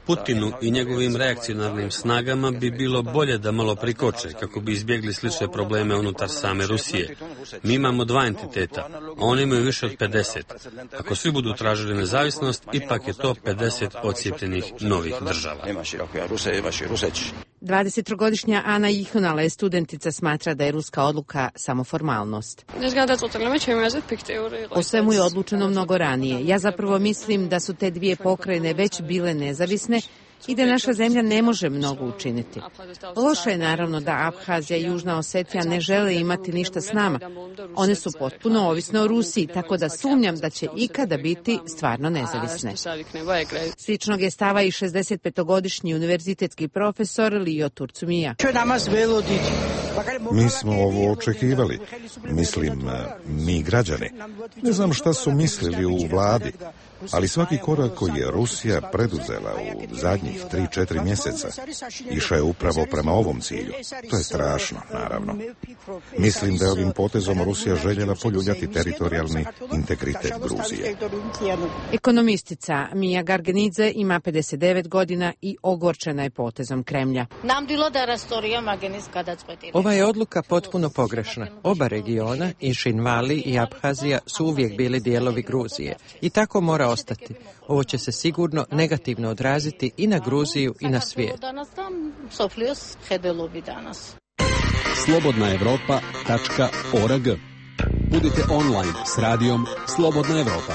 [SPEAKER 5] Putinu i njegovim reakcionarnim snagama bi bilo bolje da malo prikoče kako bi izbjegli slične probleme unutar same Rusije. Mi imamo dva entiteta, a oni imaju više od pedeset. Ako svi budu tražili nezavisnost, ipak je to pedeset ocijepljenih novih država.
[SPEAKER 18] dvadesettrogodišnja Ana Ihonala je studentica, smatra da je ruska odluka samo formalnost. O svemu je odlučeno mnogo ranije. Ja zapravo mislim da su te dvije pokrajine već bile nezavisne i da naša zemlja ne može mnogo učiniti. Loše je naravno da Abhazija i Južna Osetija ne žele imati ništa s nama. One su potpuno ovisne o Rusiji, tako da sumnjam da će ikada biti stvarno nezavisne. Sličnog je stava i šezdesetpetogodišnji univerzitetski profesor Lio Turcumija.
[SPEAKER 9] Mi smo ovo očekivali. Mislim, mi građani. Ne znam šta su mislili u vladi, ali svaki korak koji je Rusija preduzela u zadnjih tri četiri mjeseca išao je upravo prema ovom cilju. To je strašno, naravno. Mislim da je ovim potezom Rusija željela poljuljati teritorijalni integritet Gruzije.
[SPEAKER 18] Ekonomistica Mija Gargenidze ima pedeset devet godina i ogorčena je potezom Kremlja.
[SPEAKER 14] Ova je odluka potpuno pogrešna. Oba regiona, i Šinvali i Abhazija, su uvijek bili dijelovi Gruzije i tako mora ostati. Ovo će se sigurno negativno odraziti i na Gruziju i na svijet.
[SPEAKER 4] slobodna evropa tačka org. Budite online s radijom Slobodna Evropa.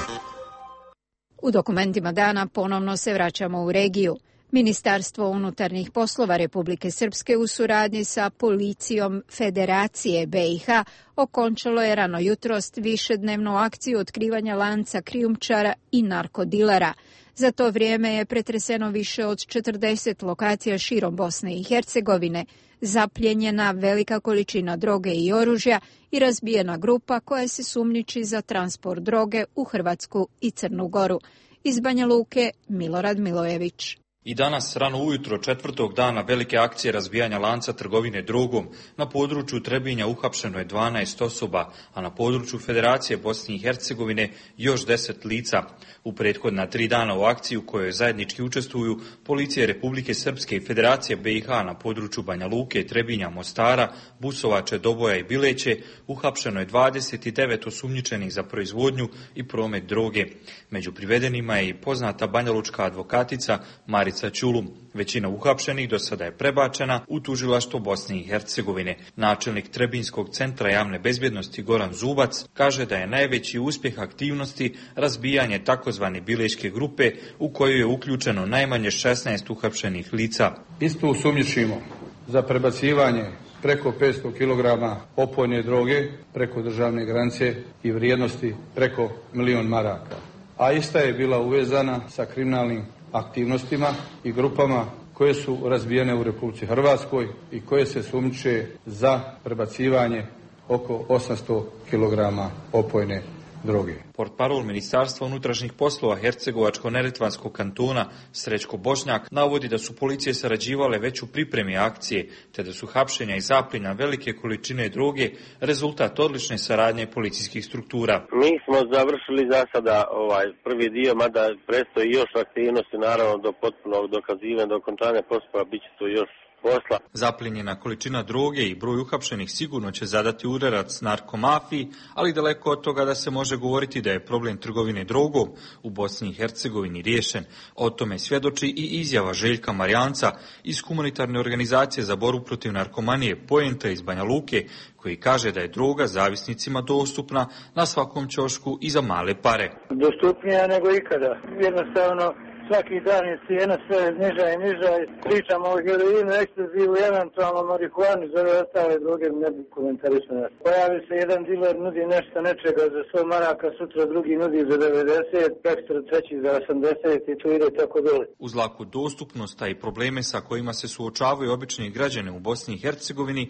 [SPEAKER 1] U dokumentima dana ponovno se vraćamo u regiju. Ministarstvo unutarnjih poslova Republike Srpske u suradnji sa policijom Federacije B i H okončalo je rano jutros višednevnu akciju otkrivanja lanca krijumčara i narkodilera. Za to vrijeme je pretreseno više od četrdeset lokacija širom Bosne i Hercegovine, zapljenjena velika količina droge i oružja i razbijena grupa koja se sumnjiči za transport droge u Hrvatsku i Crnu Goru. Iz Banja Luke Milorad Milojević.
[SPEAKER 17] I danas, rano ujutro četvrtog dana velike akcije razbijanja lanca trgovine drogom, na području Trebinja uhapšeno je dvanaest osoba, a na području Federacije Bosne i Hercegovine još deset lica. U prethodna tri dana u akciji u kojoj zajednički učestvuju policije Republike Srpske i Federacije B i H na području Banja Luke, Trebinja, Mostara, Busovače, Doboja i Bileće, uhapšeno je dvadeset devet osumnjičenih za proizvodnju i promet droge. Među privedenima je i poznata banjalučka advokatica Marica Ćulum. Većina uhapšenih do sada je prebačena u tužilaštvo Bosne i Hercegovine. Načelnik Trebinskog centra javne bezbjednosti Goran Zubac kaže da je najveći uspjeh aktivnosti razbijanje takozvane bileške grupe u koju je uključeno najmanje šesnaest uhapšenih lica.
[SPEAKER 19] Isto osumnjičimo za prebacivanje preko petsto kilograma opojne droge preko državne granice i vrijednosti preko milion maraka. A ista je bila uvezana sa kriminalnim aktivnostima i grupama koje su razbijene u Republici Hrvatskoj i koje se sumnjiče za prebacivanje oko osamsto kilograma opojne droge.
[SPEAKER 17] Portparol Ministarstva unutrašnjih poslova Hercegovačko-neretvanskog kantona Srećko Bošnjak navodi da su policije sarađivale već u pripremi akcije, te da su hapšenja i zapljena velike količine droge rezultat odlične saradnje policijskih struktura.
[SPEAKER 20] Mi smo završili za sada ovaj prvi dio, mada predstoji još aktivnosti, naravno do potpunog dokazivanja, do okončanja postupka bit će to još posla.
[SPEAKER 17] Zaplijenjena količina droge i broj uhapšenih sigurno će zadati udarac narkomafiji, ali daleko od toga da se može govoriti da je problem trgovine drogom u Bosni i Hercegovini riješen. O tome svjedoči i izjava Željka Marijanca iz humanitarne organizacije za borbu protiv narkomanije Poenta iz Banja Luke, koji kaže da je droga zavisnicima dostupna na svakom ćošku i za male pare.
[SPEAKER 12] Dostupnija nego ikada. Jednostavno, svaki dan je cijena sve niža i niža. Pričamo o heroinu, ekstazivu, eventualno marihuani, za ove ostale droge ne bi komentarisano. Pojavi se jedan diler, nudi nešto nečega za sto maraka, sutra drugi nudi za devedeset, prekstra treći za osamdeset i tu ide tako dole.
[SPEAKER 17] Uz laku dostupnost, a i probleme sa kojima se suočavaju obični građani u Bosni i Hercegovini,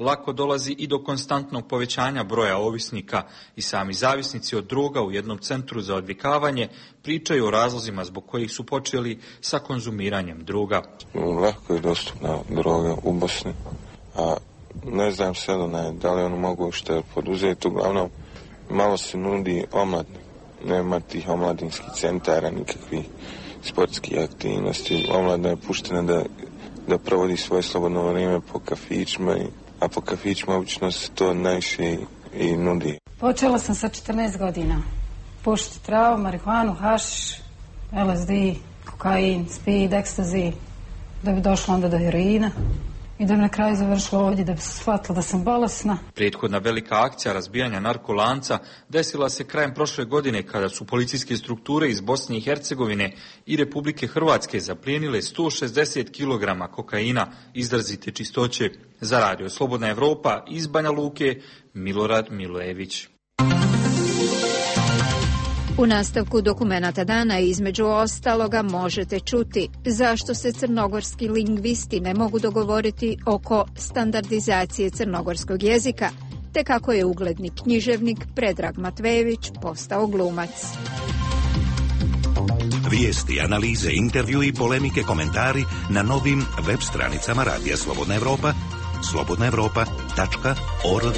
[SPEAKER 17] lako dolazi i do konstantnog povećanja broja ovisnika i sami zavisnici od droga u jednom centru za odvikavanje pričaju o razlozima zbog kojih su počeli sa konzumiranjem droga.
[SPEAKER 2] Lako je dostupna droga u Bosni, a ne znam sada da li ono mogu što poduzeti. Uglavnom, malo se nudi omladni. Nema tih omladinskih centara, nikakvih sportskih aktivnosti. Omladna je puštena da, da provodi svoje slobodno vrijeme po kafićima, a po kafićima obično se to najviše i, i nudi.
[SPEAKER 6] Počela sam sa četrnaest godina. Pušiti travu, marihuanu, hašiš, el es de, kokain, speed, ekstazi, da bi došla onda do heroina i da bi na kraju završila ovdje da bi se shvatila da sam bolesna.
[SPEAKER 17] Prethodna velika akcija razbijanja narkolanca desila se krajem prošle godine kada su policijske strukture iz Bosne i Hercegovine i Republike Hrvatske zaplijenile sto šezdeset kilograma kokaina izrazite čistoće. Za Radio Slobodna Evropa iz Banja Luke, Milorad Milojević.
[SPEAKER 1] U nastavku dokumenata dana između ostaloga možete čuti zašto se crnogorski lingvisti ne mogu dogovoriti oko standardizacije crnogorskog jezika, te kako je ugledni književnik Predrag Matvejević postao glumac.
[SPEAKER 8] Vijesti, analize, intervju i polemike, komentari na novim web stranicama Radija Slobodna Evropa, slobodna evropa tačka org.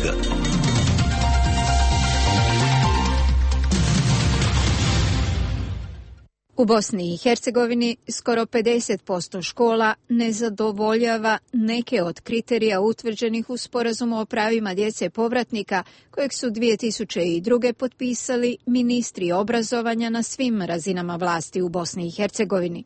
[SPEAKER 1] U Bosni i Hercegovini skoro pedeset posto škola ne zadovoljava neke od kriterija utvrđenih u Sporazumu o pravima djece povratnika, kojeg su dvije tisuće druge. potpisali ministri obrazovanja na svim razinama vlasti u Bosni i Hercegovini.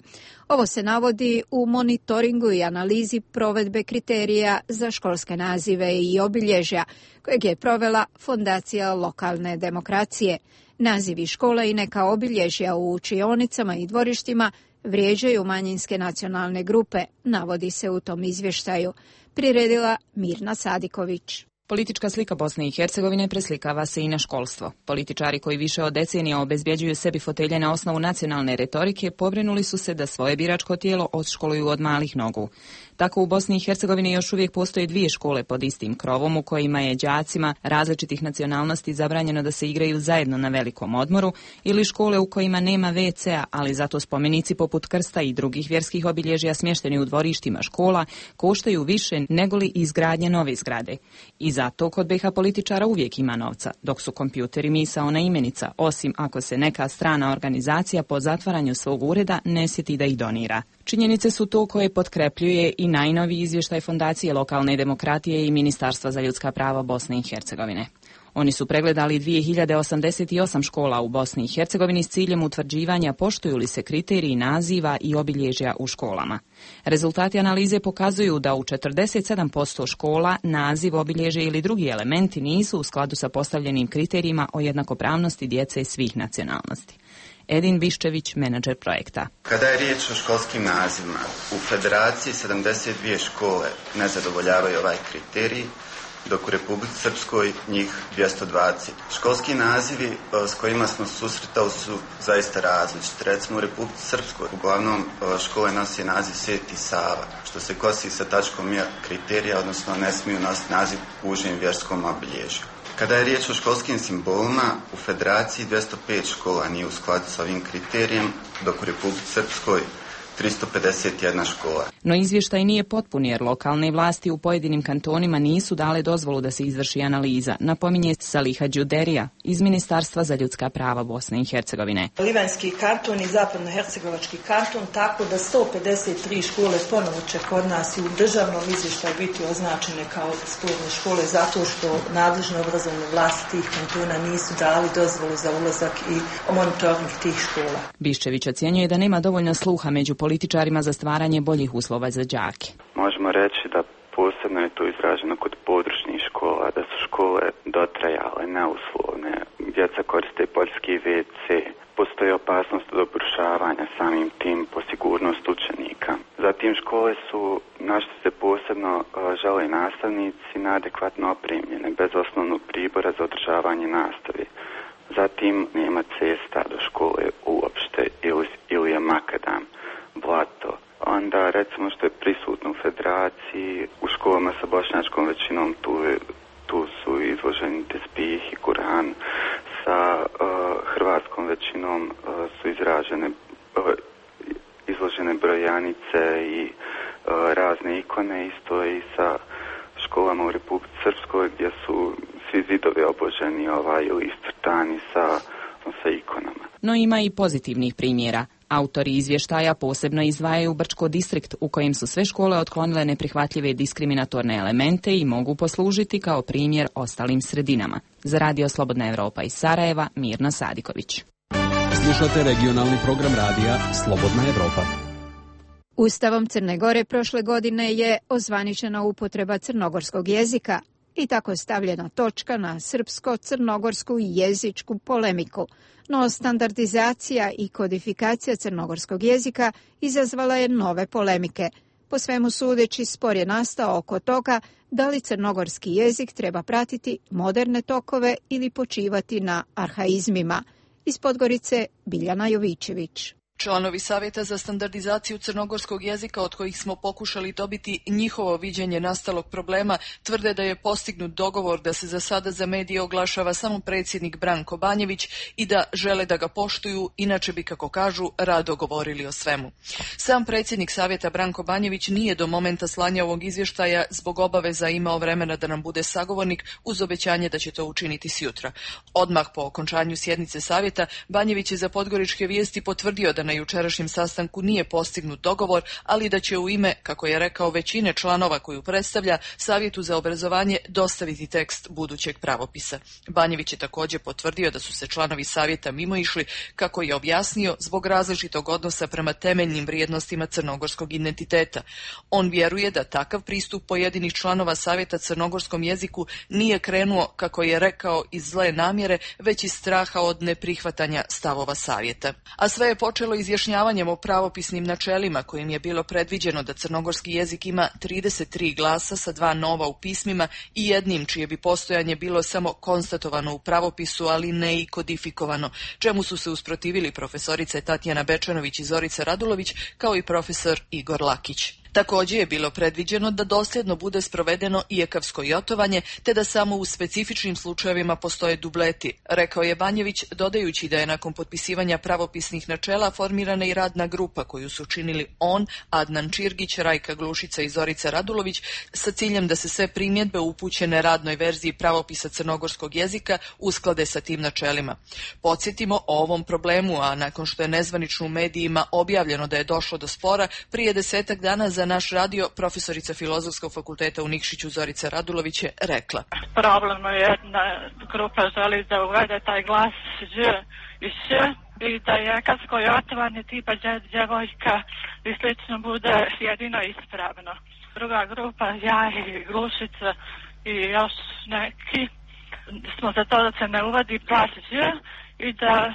[SPEAKER 1] Ovo se navodi u monitoringu i analizi provedbe kriterija za školske nazive i obilježja, kojeg je provela Fondacija lokalne demokracije. Nazivi škola i neka obilježja u učionicama i dvorištima vrijeđaju manjinske nacionalne grupe, navodi se u tom izvještaju. Priredila Mirna Sadiković.
[SPEAKER 13] Politička slika Bosne i Hercegovine preslikava se i na školstvo. Političari koji više od decenija obezbjeđuju sebi fotelje na osnovu nacionalne retorike pobrinuli su se da svoje biračko tijelo odškoluju od malih nogu. Tako u Bosni i Hercegovini još uvijek postoje dvije škole pod istim krovom u kojima je đacima različitih nacionalnosti zabranjeno da se igraju zajedno na velikom odmoru, ili škole u kojima nema ve ce a, ali zato spomenici poput krsta i drugih vjerskih obilježja smješteni u dvorištima škola koštaju više negoli izgradnje nove zgrade. I zato kod be ha političara uvijek ima novca, dok su kompjuteri misaona imenica, osim ako se neka strana organizacija po zatvaranju svog ureda ne sjeti da ih donira. Činjenice su to koje potkrepljuje i najnoviji izvještaj Fondacije lokalne demokratije i Ministarstva za ljudska prava Bosne i Hercegovine. Oni su pregledali dvije hiljade osamdeset osam škola u Bosni i Hercegovini s ciljem utvrđivanja poštuju li se kriteriji naziva i obilježja u školama. Rezultati analize pokazuju da u četrdeset sedam posto škola naziv, obilježje ili drugi elementi nisu u skladu sa postavljenim kriterijima o jednakopravnosti djece svih nacionalnosti. Edin Biščević, menadžer projekta.
[SPEAKER 21] Kada je riječ o školskim nazivima, u Federaciji sedamdeset dvije škole ne zadovoljavaju ovaj kriterij, dok u Republici Srpskoj njih dvjesto dvadeset. Školski nazivi s kojima smo susretali su zaista različiti. Recimo u Republici Srpskoj uglavnom škole nosi naziv Sveti Sava, što se kosi sa tačkom kriterija, odnosno ne smiju nositi naziv u užem vjerskom obilježju. Kada je riječ o školskim simbolima, u Federaciji dvjesto pet škola nije u skladu sa ovim kriterijem, dok u Republici Srpskoj tristo pedeset jedna škola.
[SPEAKER 13] No izvještaj nije potpun jer lokalne vlasti u pojedinim kantonima nisu dale dozvolu da se izvrši analiza, napominje Saliha Đuderija iz Ministarstva za ljudska prava Bosne i Hercegovine.
[SPEAKER 10] Livanjski kanton i zapadnohercegovački kanton, tako da sto pedeset tri škole ponovo će kod nas i u državnom izvještaju biti označene kao sporne škole zato što nadležne obrazovne vlasti tih kantona nisu dali dozvolu za ulazak i monitoring tih škola.
[SPEAKER 13] Biščević ocjenjuje da nema dovoljno sluha među političarima za stvaranje boljih uslova za đake.
[SPEAKER 21] Možemo reći da posebno je to izraženo kod područnih škola, da su škole dotrajale, neuslovne, djeca koriste poljski ve ce, postoji opasnost od obrušavanja samim tim po sigurnost učenika. Zatim škole su, na što se posebno žele nastavnici, neadekvatno opremljene, bez osnovnog pribora za održavanje nastave. Zatim nema cesta do škole uopšte ili, ili je makadam, blato. Onda recimo što je prisutno u federaciji, u školama sa bošnjačkom većinom tu, tu su izloženi tespih i Kur'an, sa uh, hrvatskom većinom uh, su izražene, uh, izložene brojanice i uh, razne ikone, isto i sa školama u Republici Srpskoj gdje su svi zidovi obloženi ovaj, ili iscrtani sa, sa ikonama.
[SPEAKER 13] No ima i pozitivnih primjera. Autori izvještaja posebno izdvajaju Brčko distrikt u kojem su sve škole otklonile neprihvatljive diskriminatorne elemente i mogu poslužiti kao primjer ostalim sredinama. Za Radio Slobodna Evropa iz Sarajeva, Mirna Sadiković.
[SPEAKER 4] Slušate regionalni program radija Slobodna Evropa.
[SPEAKER 1] Ustavom Crne Gore prošle godine je ozvaničena upotreba crnogorskog jezika i tako stavljena točka na srpsko-crnogorsku jezičku polemiku. No standardizacija i kodifikacija crnogorskog jezika izazvala je nove polemike. Po svemu sudeći, spor je nastao oko toga da li crnogorski jezik treba pratiti moderne tokove ili počivati na arhaizmima. Iz Podgorice, Biljana Jovićević.
[SPEAKER 11] Članovi Savjeta za standardizaciju crnogorskog jezika od kojih smo pokušali dobiti njihovo viđenje nastalog problema tvrde da je postignut dogovor da se za sada za medije oglašava samo predsjednik Branko Banjević i da žele da ga poštuju, inače bi, kako kažu, rado govorili o svemu. Sam predsjednik Savjeta Branko Banjević nije do momenta slanja ovog izvještaja zbog obaveza imao vremena da nam bude sagovornik uz obećanje da će to učiniti sjutra. Odmah po okončanju sjednice Savjeta Banjević je za Podgoričke vijesti potvrdio da na jučerašnjem sastanku nije postignut dogovor, ali da će u ime, kako je rekao, većine članova koju predstavlja, Savjetu za obrazovanje dostaviti tekst budućeg pravopisa. Banjević je također potvrdio da su se članovi Savjeta mimoišli, kako je objasnio, zbog različitog odnosa prema temeljnim vrijednostima crnogorskog identiteta. On vjeruje da takav pristup pojedinih članova Savjeta crnogorskom jeziku nije krenuo, kako je rekao, iz zle namjere, već iz straha od neprihvatanja stavova Savjeta. A sve je počelo izjašnjavanjem o pravopisnim načelima kojim je bilo predviđeno da crnogorski jezik ima trideset tri glasa sa dva nova u pismima i jednim čije bi postojanje bilo samo konstatovano u pravopisu, ali ne i kodifikovano, čemu su se usprotivili profesorice Tatjana Bečanović i Zorica Radulović kao i profesor Igor Lakić. Također je bilo predviđeno da dosljedno bude sprovedeno i ekavsko jotovanje, te da samo u specifičnim slučajevima postoje dubleti, rekao je Banjević, dodajući da je nakon potpisivanja pravopisnih načela formirana i radna grupa koju su činili on, Adnan Čirgić, Rajka Glušica i Zorica Radulović, sa ciljem da se sve primjedbe upućene radnoj verziji pravopisa crnogorskog jezika usklade sa tim načelima. Podsjetimo o ovom problemu, a nakon što je nezvanično u medijima objavljeno da je došlo do spora, prije desetak dana za naš radio profesorica Filozofskog fakulteta u Nikšiću Zorica Radulović je rekla:
[SPEAKER 15] Problem je jedna grupa želi da uvede taj glas Ž i Š i da je ekavsko jotovanje tipa djevojka i slično bude jedino ispravno. Druga grupa, ja i Glušica i još neki, smo za to da se ne uvodi glas Ž i da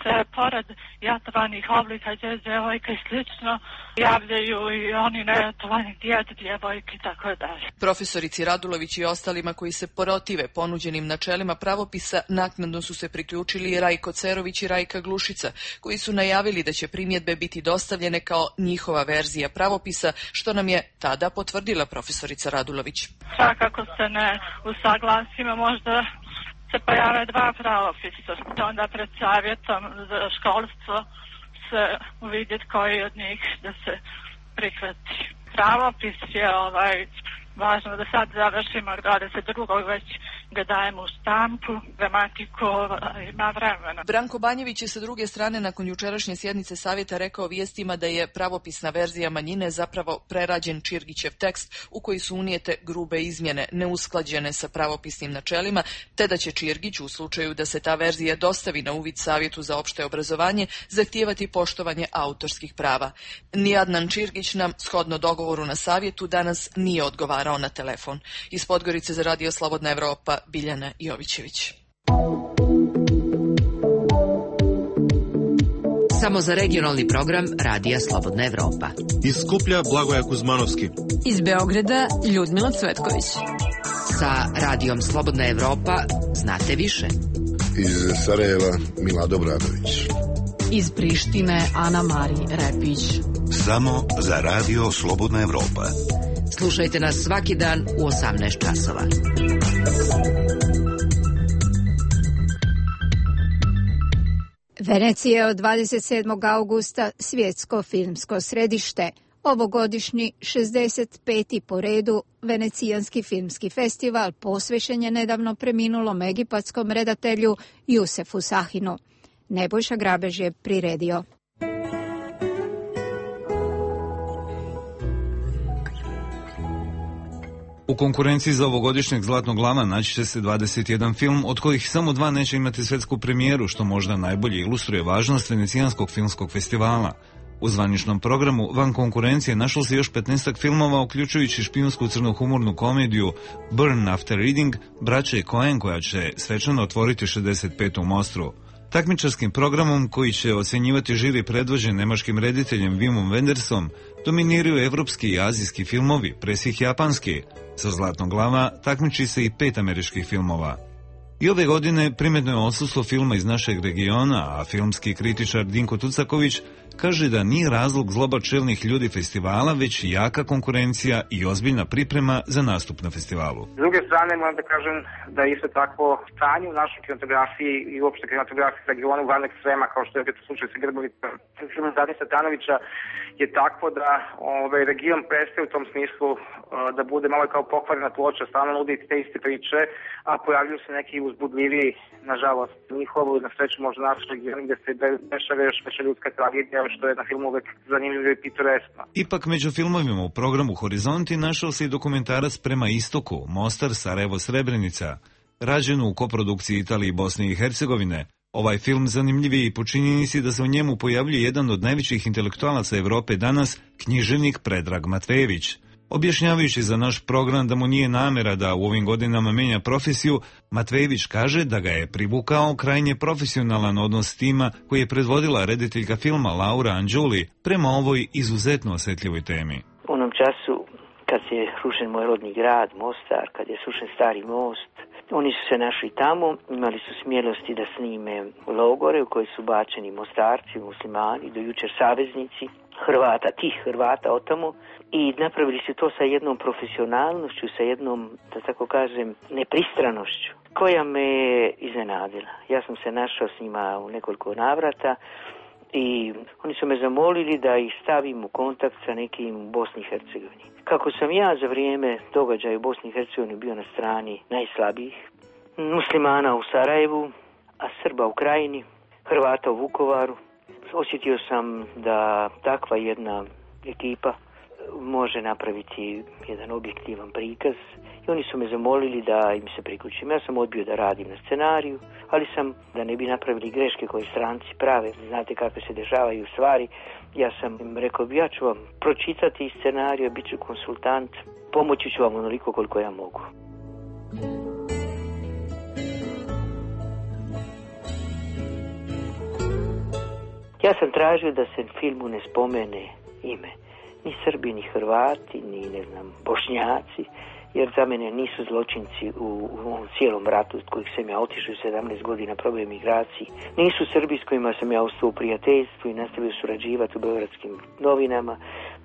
[SPEAKER 15] se pored jatovanih oblika djevojka i slično javljaju i oni nejatovani djed, djevojke i tako dalje.
[SPEAKER 11] Profesorici Radulović i ostalima koji se protive ponuđenim načelima pravopisa naknadno su se priključili i Rajko Cerović i Rajka Glušica, koji su najavili da će primjedbe biti dostavljene kao njihova verzija pravopisa, što nam je tada potvrdila profesorica Radulović.
[SPEAKER 15] Svakako se ne usaglasimo, možda se pojave dva pravopisa, onda pred Savjetom za školstvo se uvidjeti koji od njih da se prihvati. Pravopis je ovaj, važno da sad završimo dvadeset drugog već ga dajemo u štampu, gramatiku ima vremena.
[SPEAKER 11] Branko Banjević je sa druge strane nakon jučerašnje sjednice savjeta rekao vijestima da je pravopisna verzija manjine zapravo prerađen Čirgićev tekst u koji su unijete grube izmjene, neusklađene sa pravopisnim načelima, te da će Čirgić u slučaju da se ta verzija dostavi na uvid Savjetu za opšte obrazovanje zahtijevati poštovanje autorskih prava. Ni Adnan Čirgić nam, shodno dogovoru na savjetu, danas nije odgovarao na telefon. Iz Podgorice za Radio Slobodna Evropa, Biljana Jovićević.
[SPEAKER 7] Samo za regionalni program Radija Slobodna Evropa.
[SPEAKER 22] Iz Skuplja Blagoja Kuzmanovski.
[SPEAKER 23] Iz Beograda Ljudmila Cvetković.
[SPEAKER 7] Sa Radijom Slobodna Evropa znate više.
[SPEAKER 24] Iz Sarajeva Milado Bradović.
[SPEAKER 23] Iz Prištine Ana Mari Repić.
[SPEAKER 8] Samo za Radio Slobodna Evropa.
[SPEAKER 7] Slušajte nas svaki dan u osamnaest časova.
[SPEAKER 1] Venecija je od dvadeset sedmog augusta svjetsko filmsko središte. Ovogodišnji šezdeset peti po redu Venecijanski filmski festival posvećen je nedavno preminulom egipatskom redatelju Jusefu Sahinu. Nebojša Grabež je priredio.
[SPEAKER 25] U konkurenciji za ovogodišnjeg Zlatnog lava naći će se dvadeset jedan film, od kojih samo dva neće imati svjetsku premijeru, što možda najbolje ilustruje važnost Venecijanskog filmskog festivala. U zvaničnom programu van konkurencije našlo se još petnaestak filmova, uključujući špijunsku crnohumornu komediju Burn After Reading, braće Coen, koja će svečano otvoriti šezdeset petu u Mostru. Takmičarskim programom, koji će ocjenjivati žiri predvođen nemačkim rediteljem Wimom Wendersom, dominiraju evropski i azijski filmovi, presih japanski. Sa Zlatnog lava takmiči se i pet američkih filmova. I ove godine primetno je odsustvo filma iz našeg regiona, a filmski kritičar Dinko Tucaković kaže da nije razlog zloba čelnih ljudi festivala, već jaka konkurencija i ozbiljna priprema za nastup na festivalu.
[SPEAKER 26] S druge strane, moram da kažem da je isto tako stanje u našoj kinematografiji i uopšte kinematografiji regionu van ekstrema, kao što je to slučaj sa Grbovicom. Film Dani Satanovića je takvo da ovaj region prestaje u tom smislu da bude malo kao pokvarena ploča, stalno nudi te iste priče, a pojavljuju se neki uzbudljiviji, nažalost, njihovo na sreću možda naš region gde se dešava još veća ljudska tragedija, što je na filmu uvek zanimljivo i pitoreskno.
[SPEAKER 25] Ipak među filmovima u programu Horizonti našao se i dokumentarac Prema istoku, Mostar, Sarajevo, Srebrenica, rađen u koprodukciji Italije i Bosne i Hercegovine. Ovaj film zanimljiv je i po činjenici da se u njemu pojavljuje jedan od najvećih intelektualaca Evrope danas, književnik Predrag Matvejević. Objašnjavajući za naš program da mu nije namera da u ovim godinama menja profesiju, Matvejević kaže da ga je privukao krajnje profesionalan odnos s tima koji je predvodila rediteljka filma Laura Anđuli prema ovoj izuzetno osjetljivoj temi.
[SPEAKER 16] U onom času kad se rušen moj rodni grad, Mostar, kad je srušen stari most, oni su se našli tamo, imali su smjelosti da snime logore u koje su bačeni Mostarci, muslimani, do jučer saveznici Hrvata, tih Hrvata od tamo, i napravili su to sa jednom profesionalnošću, sa jednom, da tako kažem, nepristranošću, koja me iznenadila. Ja sam se našao s njima u nekoliko navrata i oni su me zamolili da ih stavim u kontakt sa nekim u Bosni i Hercegovini. Kako sam ja za vrijeme događaja u Bosni i Hercegovini bio na strani najslabijih, muslimana u Sarajevu, a Srba u Krajini, Hrvata u Vukovaru, osjetio sam da takva jedna ekipa može napraviti jedan objektivan prikaz i oni su me zamolili da im se priključim. Ja sam odbio da radim na scenariju, ali sam, da ne bi napravili greške koje stranci prave, znate kako se dešavaju stvari, ja sam im rekao, ja ću vam pročitati scenariju, bit ću konsultant, pomoći ću vam onoliko koliko ja mogu. Ja sam tražio da se filmu ne spomene ime. Ni Srbi, ni Hrvati, ni, ne znam, Bošnjaci, jer za mene nisu zločinci u, u ovom cijelom ratu od kojih sam ja otišao sedamnaest godina problem migraciji. Nisu Srbi s kojima sam ja ostao u prijateljstvu i nastavio surađivati u beogradskim novinama.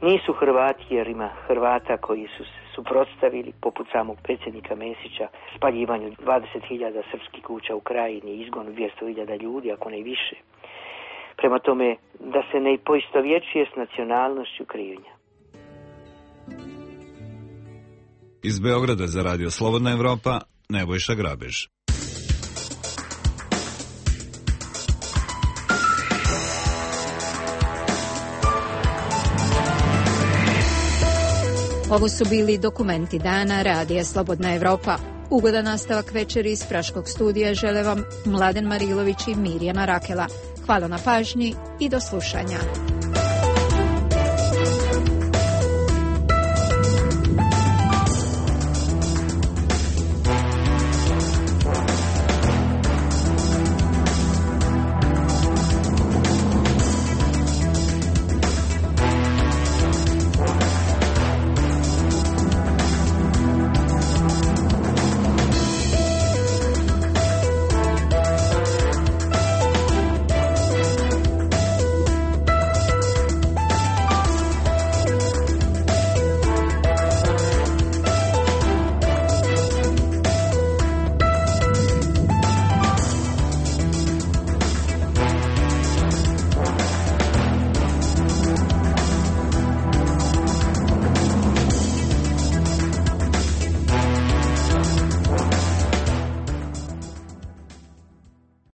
[SPEAKER 16] Nisu Hrvati jer ima Hrvata koji su se suprotstavili, poput samog predsjednika Mesića, spaljivanju dvadeset hiljada srpskih kuća u Krajini, izgonu dvjesto hiljada ljudi, ako ne više. Prema tome, da se ne poistovjećuje s nacionalnošću krivnja.
[SPEAKER 25] Iz Beograda za Radio Slobodna Evropa, Nebojša Grabež.
[SPEAKER 1] Ovo su bili dokumenti dana Radija Slobodna Evropa. Ugodan nastavak večeri iz Praškog studija žele vam Mladen Marilović i Mirjana Rakela. Hvala na pažnji i do slušanja.